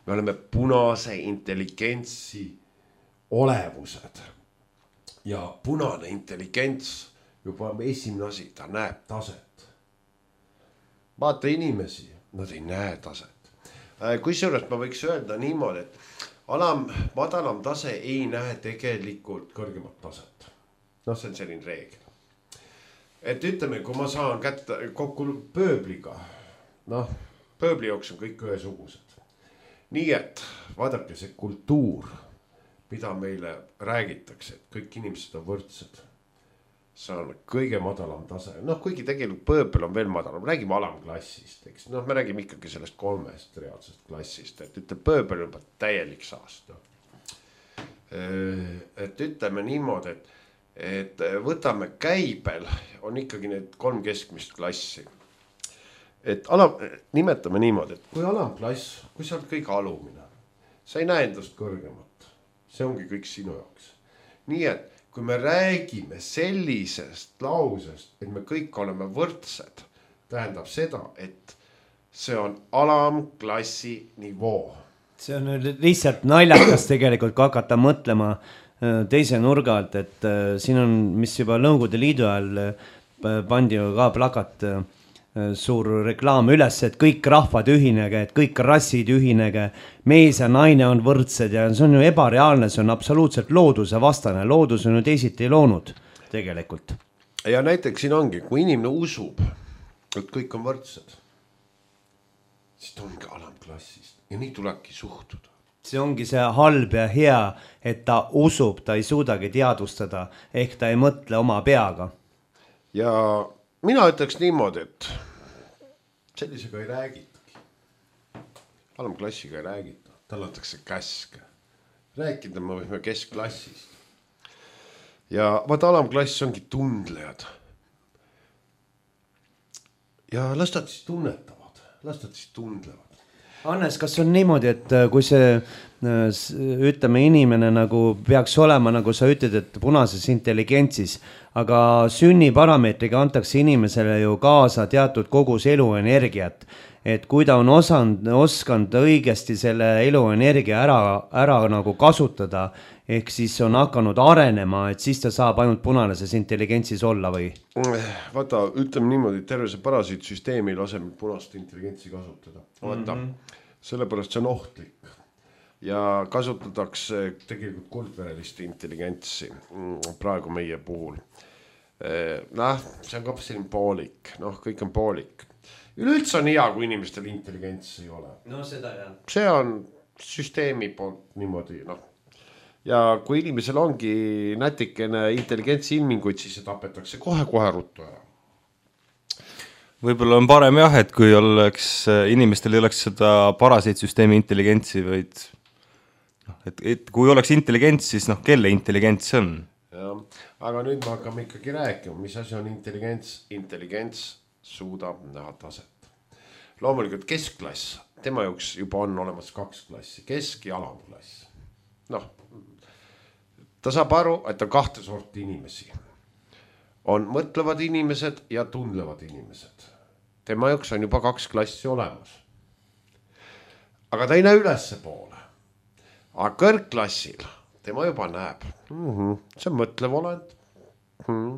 Me oleme punase intelligentsi olevused. Ja punane intelligents juba esimene asi, ta näeb taset. Vaata inimesi, nad ei näe taset. Kui sellest ma võiks öelda niimoodi, et alam, madalam tase ei näe tegelikult kõrgemat taset. No see on selline reegel. Et ütleme, kui ma saan kätte kokku pööbliga, noh, pööbli jooks on kõik ühesugused. Nii et vaadake see kultuur, mida meile räägitakse, et kõik inimesed on võrdsed. See on kõige madalam tase. Noh, kuigi tegelikult pööbel on veel madalam, räägime alamklassist, eks. Noh, me räägime ikkagi sellest kolmest reaalsest klassist, et ütle, pööbel on täielik saast. Et ütleme niimoodi, et et võtame käibel, on ikkagi need kolm keskmist klassi. Et alam, nimetame niimoodi, et kui alamklass, kui sa oled kõik alumine, sa ei näe endast kõrgemat. See ongi kõik sinu jaoks. Nii et kui me räägime sellisest lausest, et me kõik oleme võrdsed, tähendab seda, et see on alamklassi nivoo. See on lihtsalt naljakas tegelikult, kui hakata mõtlema teise nurga alt, et äh, siin on, mis juba Nõukogude Liidu ajal äh, pandi ka plakat äh, suur reklaam üles, et kõik rahvad ühinege, et kõik rassid ühinege, mees ja naine on võrdsed ja see on ju ebareaalne, see on absoluutselt looduse vastane, loodus on ju teisiti loonud tegelikult. Ja näiteks siin ongi, kui inimene usub, et kõik on võrdsed, siis ta ongi alamklassist ja nii tulebki suhtuda. See ongi see halb ja hea, et ta usub, ta ei suudagi teadvustada, ehk ta ei mõtle oma peaga. Ja mina ütleks niimoodi, et sellisega ei räägitagi. Alamklassiga ei räägita, tal antakse käske. Rääkida me võime keskklassist. Ja vaata, alamklass ongi tundlejad. Ja las nad siis tunnetavad, las nad siis tundlevad. Hannes, kas on niimoodi, et kui see, ütleme, inimene nagu peaks olema, nagu sa ütled, et punases intelligentsis, aga sünniparameetriga antakse inimesele ju kaasa teatud kogus eluenergiat, et kui ta on osanud, oskanud õigesti selle eluenergia ära, ära nagu kasutada, ehk siis on hakanud arenema, et siis ta saab ainult punases intelligentsis olla või? Vaata, ütleme niimoodi, et terve see parasiitsüsteemi laseb punast intelligentsi kasutada. Vaata, mm-hmm. sellepärast see on ohtlik ja kasutatakse tegelikult kuldverelist intelligentsi praegu meie puhul. Noh, see on ka selline poolik, noh, kõik on poolik. Üleüldse on hea, kui inimestel intelligents ei ole. No seda jah. See on süsteemi poolt niimoodi, noh. Ja kui inimesel ongi nätikene intelligentsi ilminguid, siis see tapetakse kohe-kohe ruttu ära. Võib-olla on parem jah, et kui oleks, inimestel ei oleks seda parasiitsüsteemi intelligentsi, vaid noh, et, et kui oleks intelligents, siis noh, kelle intelligents see on? Ja, aga nüüd me hakkame ikkagi rääkima, mis asi on intelligents. Intelligents suudab näha taset. Loomulikult keskklass, tema jaoks juba on olemas kaks klassi, kesk- ja alamklass. Noh, ta saab aru, et on kahte sorti inimesi. On mõtlevad inimesed ja tundlevad inimesed. Tema jaoks on juba kaks klassi olemas. Aga ta ei näe ülesse poole. Aga kõrgklassil tema juba näeb. Mm-hmm. See on mõtlev olend. Mm-hmm.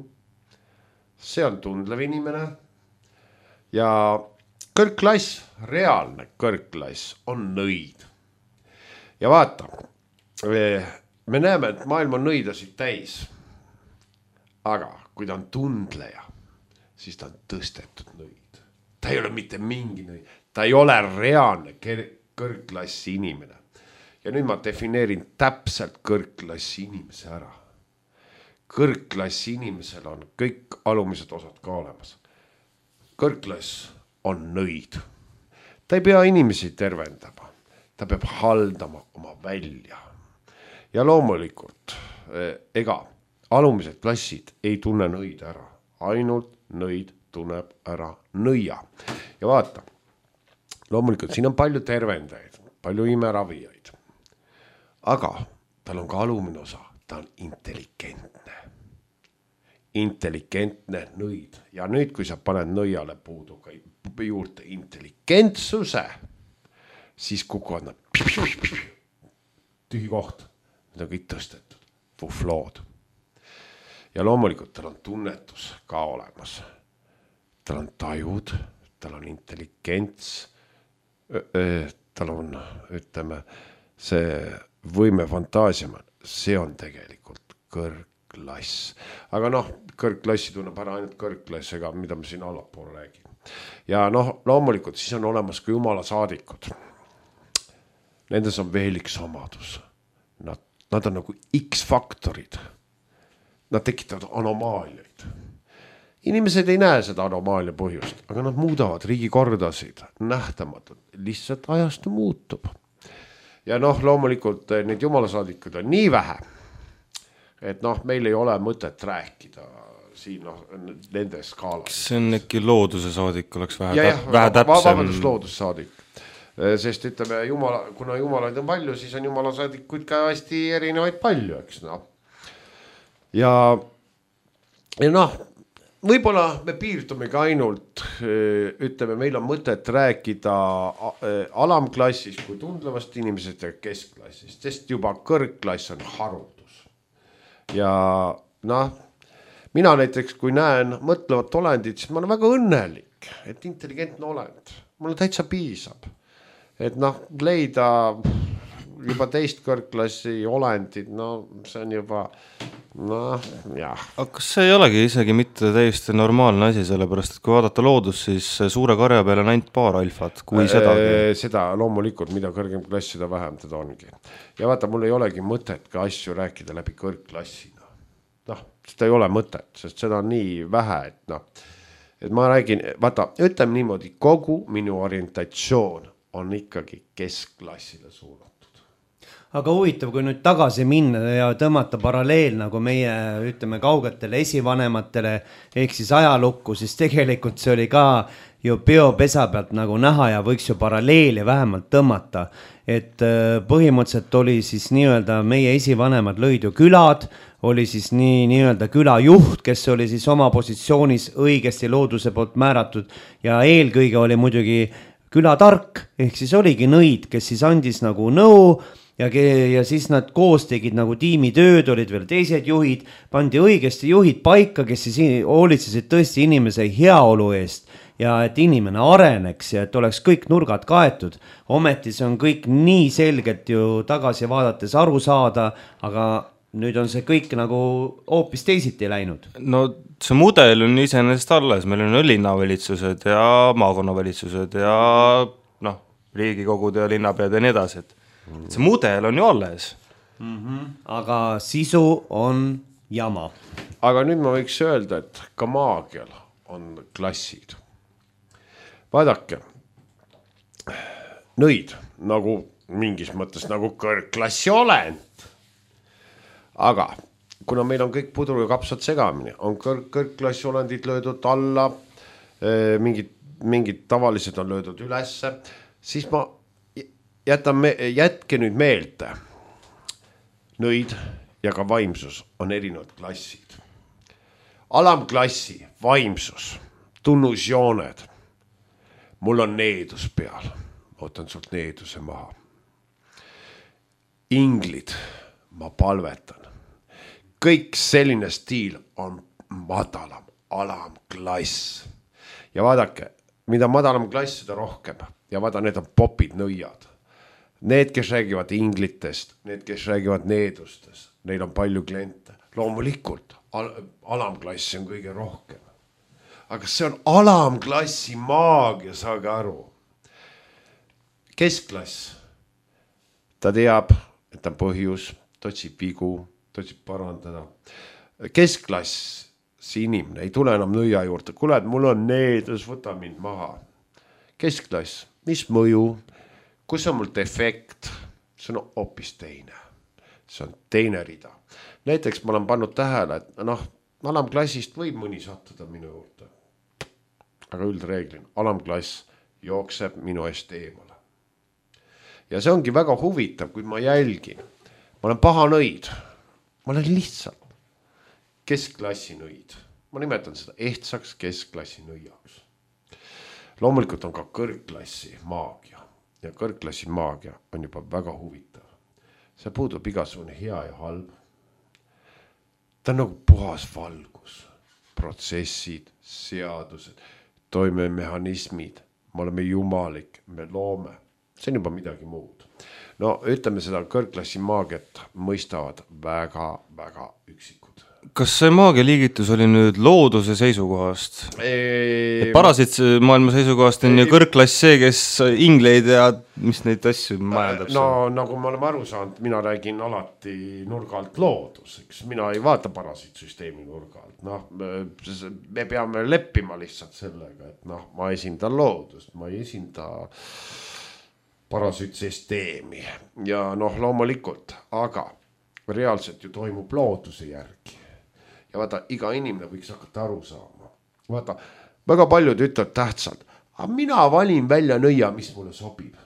See on tundlev inimene. Ja kõrgklass, reaalne kõrgklass on nõid. Ja vaata, me näeme, et maailm on nõidasid täis. Aga kui ta on tundleja, siis ta on tõstetud nõid. Ta ei ole mitte mingi nõid. Ta ei ole reaalne kõrgklassi inimene. Ja nüüd ma defineerin täpselt kõrgklassi inimese ära. Kõrgklassi inimesel on kõik alumised osad ka olemas. Kõrgklass on nõid. Ta ei pea inimesi tervendama. Ta peab haldama oma välja. Ja loomulikult, ega alumised klassid ei tunne nõid ära. Ainult nõid tunneb ära nõia. Ja vaata, loomulikult siin on palju tervendajaid, palju imeravijaid. Aga tal on ka alumine osa, ta on intelligentne. Intelligentne nõid. Ja nüüd, kui sa paned nõiale puudu juurde intelligentsuse, siis kukuvad nad tühi koht. Need on kõik tõstetud. Fuflood. Ja loomulikult tal on tunnetus ka olemas. Tal on tajud, tal on intelligents, tal on, ütleme, see võime fantaasiama, see on tegelikult kõrgklass. Aga noh, kõrgklassi tunneb ära ainult kõrgklass, ega mida me siin allapool räägime. Ja noh, loomulikult siis on olemas ka jumala saadikud. Nendes on veel üks omadus. Nad, nad on nagu X-faktorid. Nad tekitavad anomaaliaid. Inimesed ei näe seda anomaalia põhjust, aga nad muudavad riigikordasid nähtamatult. Lihtsalt ajastu muutub. Ja noh, loomulikult need jumalasaadikud on nii vähe, et noh, meil ei ole mõtet rääkida siin noh, nende skaalas. See on äkki looduse saadik, oleks vähe, ja, täp vähe täpsem. Vabandus loodussaadik. Sest ütleme, jumala, kuna jumalaid on palju, siis on jumalasaadikuid ka hästi erinevaid palju, eks noh. Ja, ja noh, võib-olla me piirdumegi ainult, ütleme, meil on mõtet rääkida alamklassist kui tundlevast inimesest ja keskklassist, sest juba kõrgklass on harutus. Ja noh, mina näiteks, kui näen mõtlevat olendit, siis ma olen väga õnnelik, et intelligentne olend. Mulle täitsa piisab. Et noh, leida juba teist kõrgklassi olendid, no see on juba, noh, jah. Aga kas see ei olegi isegi mitte täiesti normaalne asi, sellepärast, et kui vaadata loodus, siis suure karja peal on ainult paar alfat, kui sedagi. Seda loomulikult, mida kõrgem klass, seda vähem teda ongi. Ja vaata, mul ei olegi mõtet ka asju rääkida läbi kõrgklassina. Noh, seda ei ole mõtet, sest seda on nii vähe, et noh, et ma räägin, vaata, ütleme niimoodi, kogu minu orientatsioon on ikkagi keskklassile suunatud. Aga huvitav, kui nüüd tagasi minna ja tõmmata paralleel nagu meie, ütleme, kaugetele esivanematele ehk siis ajalukku, siis tegelikult see oli ka ju peopesa pealt nagu näha ja võiks ju paralleeli vähemalt tõmmata. Et põhimõtteliselt oli siis nii-öelda meie esivanemad lõid ju külad, oli siis nii nii-öelda külajuht, kes oli siis oma positsioonis õigesti looduse poolt määratud ja eelkõige oli muidugi külatark, ehk siis oligi nõid, kes siis andis nagu nõu ja, ja siis nad koos tegid nagu tiimitööd, olid veel teised juhid, pandi õigesti juhid paika, kes siis hoolitsesid tõesti inimese heaolu eest ja et inimene areneks ja et oleks kõik nurgad kaetud. Ometi see on kõik nii selgelt ju tagasi vaadates aru saada, aga nüüd on see kõik nagu hoopis teisiti läinud. No see mudel on iseenesest alles, meil on linnavalitsused ja maakonnavalitsused ja noh, riigikogud ja linnapead ja nii edasi, et see mudel on ju alles. Mm-hmm. Aga sisu on jama. Aga nüüd ma võiks öelda, et ka maagial on klassid. Vaadake, nõid nagu mingis mõttes nagu kõrgklassi olend. Aga kuna meil on kõik pudru ja kapsad segamini, on kõrg, kõrgklassi olendid löödud alla, mingid, mingid tavalised on löödud ülesse, siis ma jätan me, jätke nüüd meelde. Nõid ja ka vaimsus on erinevad klassid. Alamklassi vaimsus, tunnusjooned. Mul on needus peal. Ootan sult needuse maha. Inglid, ma palvetan. Kõik selline stiil on madalam, alamklass. Ja vaadake, mida madalam klass, seda rohkem. Ja vaada, need on popid nõiad. Need, kes räägivad inglitest, need, kes räägivad needustest, neil on palju kliente. Loomulikult, al alamklassi on kõige rohkem. Aga see on alamklassi maagia, saage aru. Keskklass, ta teab, et on põhjus, ta otsib vigu, ta otsib parandada. Keskklass, see inimene ei tule enam nõia juurde. Kuule, et mul on needus, võta mind maha. Keskklass, mis mõju? Kus on mul defekt? See on hoopis teine. See on teine rida. Näiteks ma olen pannud tähele, et noh, alamklassist võib mõni sattuda minu juurde. Aga üldreeglin, alamklass jookseb minu eest eemale. Ja see ongi väga huvitav, kui ma jälgin. Ma olen paha nõid. Ma olen lihtsalt keskklassi nõid. Ma nimetan seda ehtsaks keskklassi nõiaks. Loomulikult on ka kõrgklassi maagia. Ja kõrgklassi maagia on juba väga huvitav. See puudub igasugune hea ja halb. Ta on nagu puhas valgus. Protsessid, seadused, toimemehhanismid. Me oleme jumalik, me loome. See on juba midagi muud. No ütleme seda kõrgklassi maagiat mõistavad väga, väga üksikud. Kas see maagia liigitus oli nüüd looduse seisukohast? Eee... Parasiit maailma seisukohast on ju kõrgklass see, kes ingleid ja mis neid asju majandab? No nagu me oleme aru saanud, mina räägin alati nurga alt loodus, eks mina ei vaata parasiitsüsteemi nurga alt. Noh, me peame leppima lihtsalt sellega, et noh, ma esindan loodust, ma ei esinda parasiitsüsteemi ja noh, loomulikult, aga reaalselt ju toimub looduse järgi. Ja vaata, iga inimene võiks hakata aru saama. Vaata, väga paljud ütlevad tähtsalt, aga mina valin välja nõia, mis mulle sobib.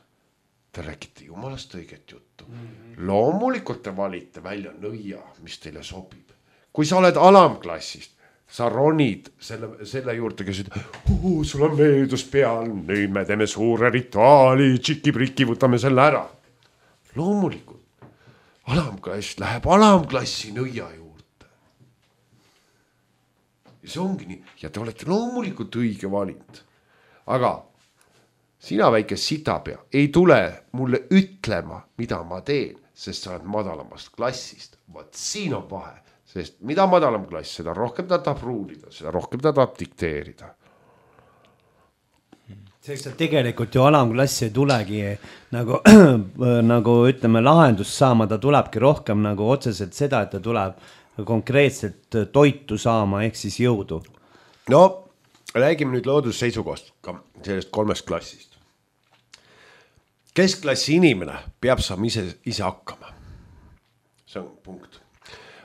Te räägite jumalast õiget juttu. Mm-hmm. Loomulikult te valite välja nõia, mis teile sobib. Kui sa oled alamklassist, sa ronid selle, selle juurde, kes ütleb, uh, sul on meeldus peal, nüüd me teeme suure rituaali, tšiki-priki, võtame selle ära. Loomulikult, alamklass läheb alamklassi nõia juurde. Ja see ongi nii. Ja te olete loomulikult õige valinud. Aga sina väike sitapea ei tule mulle ütlema, mida ma teen, sest sa oled madalamast klassist. Vaat siin on vahe, sest mida madalam klass, seda rohkem ta tahab ruulida, seda rohkem ta tahab dikteerida. Selleks, et tegelikult ju alamklassi ei tulegi nagu, nagu ütleme lahendust saama, ta tulebki rohkem nagu otseselt seda, et ta tuleb konkreetselt toitu saama, ehk siis jõudu. No räägime nüüd loodusseisukohast ka sellest kolmest klassist. Keskklassi inimene peab saama ise, ise hakkama. See on punkt.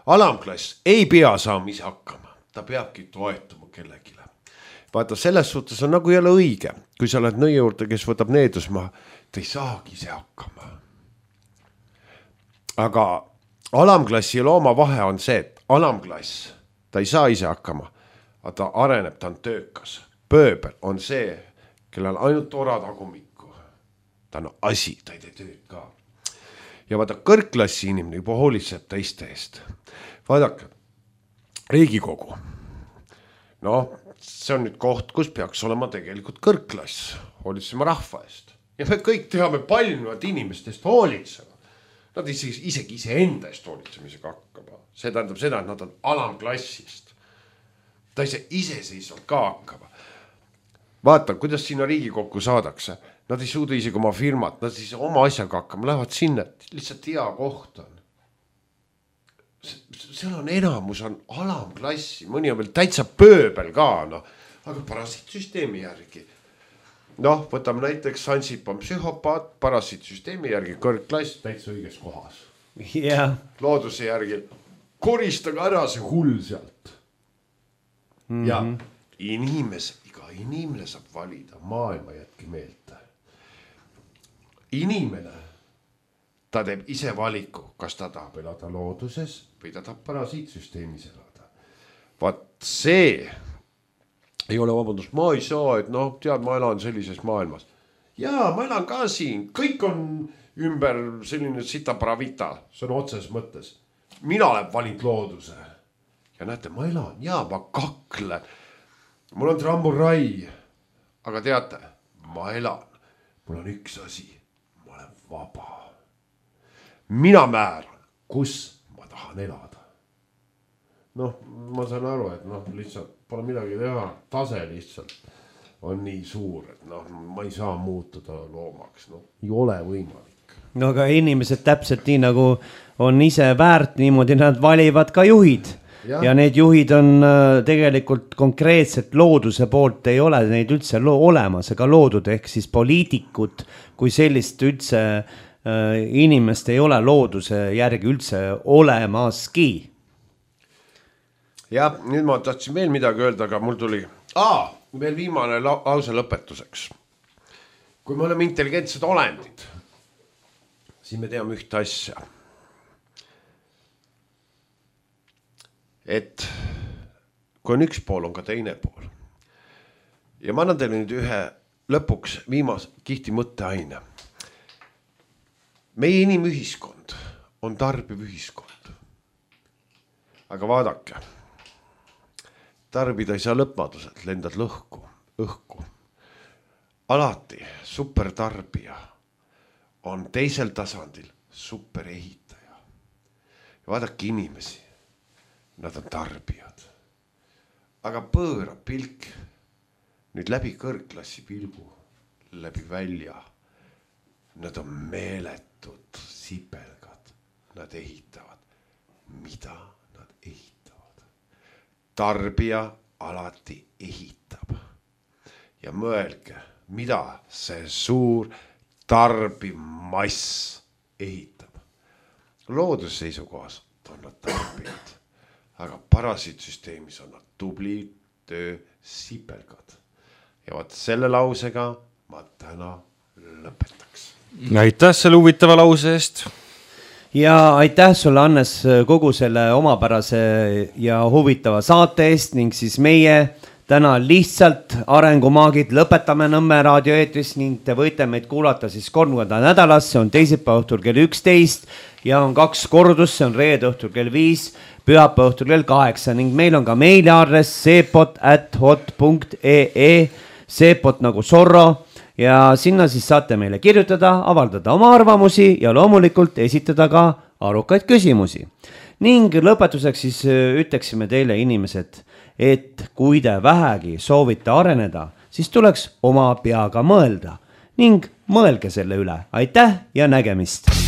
Alamklass ei pea saama ise hakkama. Ta peabki toetuma kellegile. Vaata, selles suhtes on nagu jälle õige. Kui sa oled nõi juurde, kes võtab needusmaa, ta ei saagi ise hakkama. Aga alamklassi ja looma vahe on see, et alamklass, ta ei saa ise hakkama, aga ta areneb, ta on töökas. Pööbel on see, kellel ainult ora tagumikku. Ta on asi, ta ei tee tööd ka. Ja vaata, kõrgklassi inimene juba hoolitseb teiste eest. Vaadake, Riigikogu. No, see on nüüd koht, kus peaks olema tegelikult kõrgklass. Hoolitsema rahva eest. Ja me kõik teame paljunud inimestest hoolitsema. Nad isegi, isegi ise enda eest hoolitsemisega hakkama. See tähendab seda, et nad on alamklassist. Ta ise iseseisvalt ka hakkama. Vaata, kuidas sinna Riigikokku saadakse. Nad ei suuda isegi oma firmat, nad ise oma asjaga hakkama. Lähevad sinna, lihtsalt hea koht on. Seal on enamus, on alamklassi. Mõni on veel täitsa pööbel ka, no. Aga parasiitsüsteemi järgi. Noh, võtame näiteks Ansip on psühhopaat, parasiitsüsteemi järgi kõrgklass, täitsa õiges kohas. Yeah. Looduse järgi koristage ära see hull sealt. Mm-hmm. Ja inimes, iga inimene saab valida, maailma jätki meelde. Inimene, ta teeb ise valiku, kas ta tahab elada looduses või ta tahab parasiitsüsteemis elada. Vaat see ei ole vabandust, ma ei saa, et noh, tead, ma elan sellises maailmas. Jaa, ma elan ka siin, kõik on ümber selline sita bravita, see on otses mõttes. Mina olen valinud looduse. Ja näete, ma elan, jaa, ma kaklen. Mul on tramburai, aga teate, ma elan. Mul on üks asi, ma olen vaba. Mina määran, kus ma tahan elada. Noh, ma saan aru, et noh, lihtsalt pole midagi teha, tase lihtsalt on nii suur, et noh, ma ei saa muutuda loomaks, noh, ei ole võimalik. No aga inimesed täpselt nii nagu on ise väärt, niimoodi nad valivad ka juhid. Ja, ja need juhid on tegelikult konkreetselt looduse poolt ei ole neid üldse lo- olemas, ega loodud ehk siis poliitikud, kui sellist üldse äh, inimest ei ole looduse järgi üldse olemaski. Ja nüüd ma tahtsin veel midagi öelda, aga mul tuli Aa, veel viimane lause lõpetuseks. Kui me oleme intelligentsed olendid, siis me teame ühte asja. Et kui on üks pool, on ka teine pool. Ja ma annan teile nüüd ühe lõpuks viimas kihti mõtteaine. Meie inimühiskond on tarbiv ühiskond. Aga vaadake. Tarbida ei saa lõpmaduselt, lendad lõhku, õhku. Alati supertarbija on teisel tasandil superehitaja. Ja vaadake inimesi, nad on tarbijad. Aga pööra pilk nüüd läbi kõrgklassi pilgu, läbi välja. Nad on meeletud sipelgad, nad ehitavad. Mida nad ehitavad? Tarbija alati ehitab. Ja mõelge, mida see suur tarbimass ehitab. Loodusseisukohas on nad tarbijad, aga parasiitsüsteemis on nad tubli töö sipelgad. Ja vaat selle lausega ma täna lõpetaks. Aitäh selle huvitava lause eest. Ja aitäh sulle, Annes, kogu selle omapärase ja huvitava saate eest ning siis meie täna lihtsalt arengumaagid lõpetame Nõmme raadioeetris ning te võite meid kuulata siis kolm korda nädalas, see on teisipäeva õhtul kell üksteist ja on kaks kordus, see on reede õhtul kell viis, pühapäeva õhtul kell kaheksa ning meil on ka meiliaadress seepot at hot punkt ee, seepot nagu Zorro. Ja sinna siis saate meile kirjutada, avaldada oma arvamusi ja loomulikult esitada ka arukaid küsimusi. Ning lõpetuseks siis ütleksime teile inimesed, et kui te vähegi soovite areneda, siis tuleks oma peaga mõelda ning mõelge selle üle. Aitäh ja nägemist!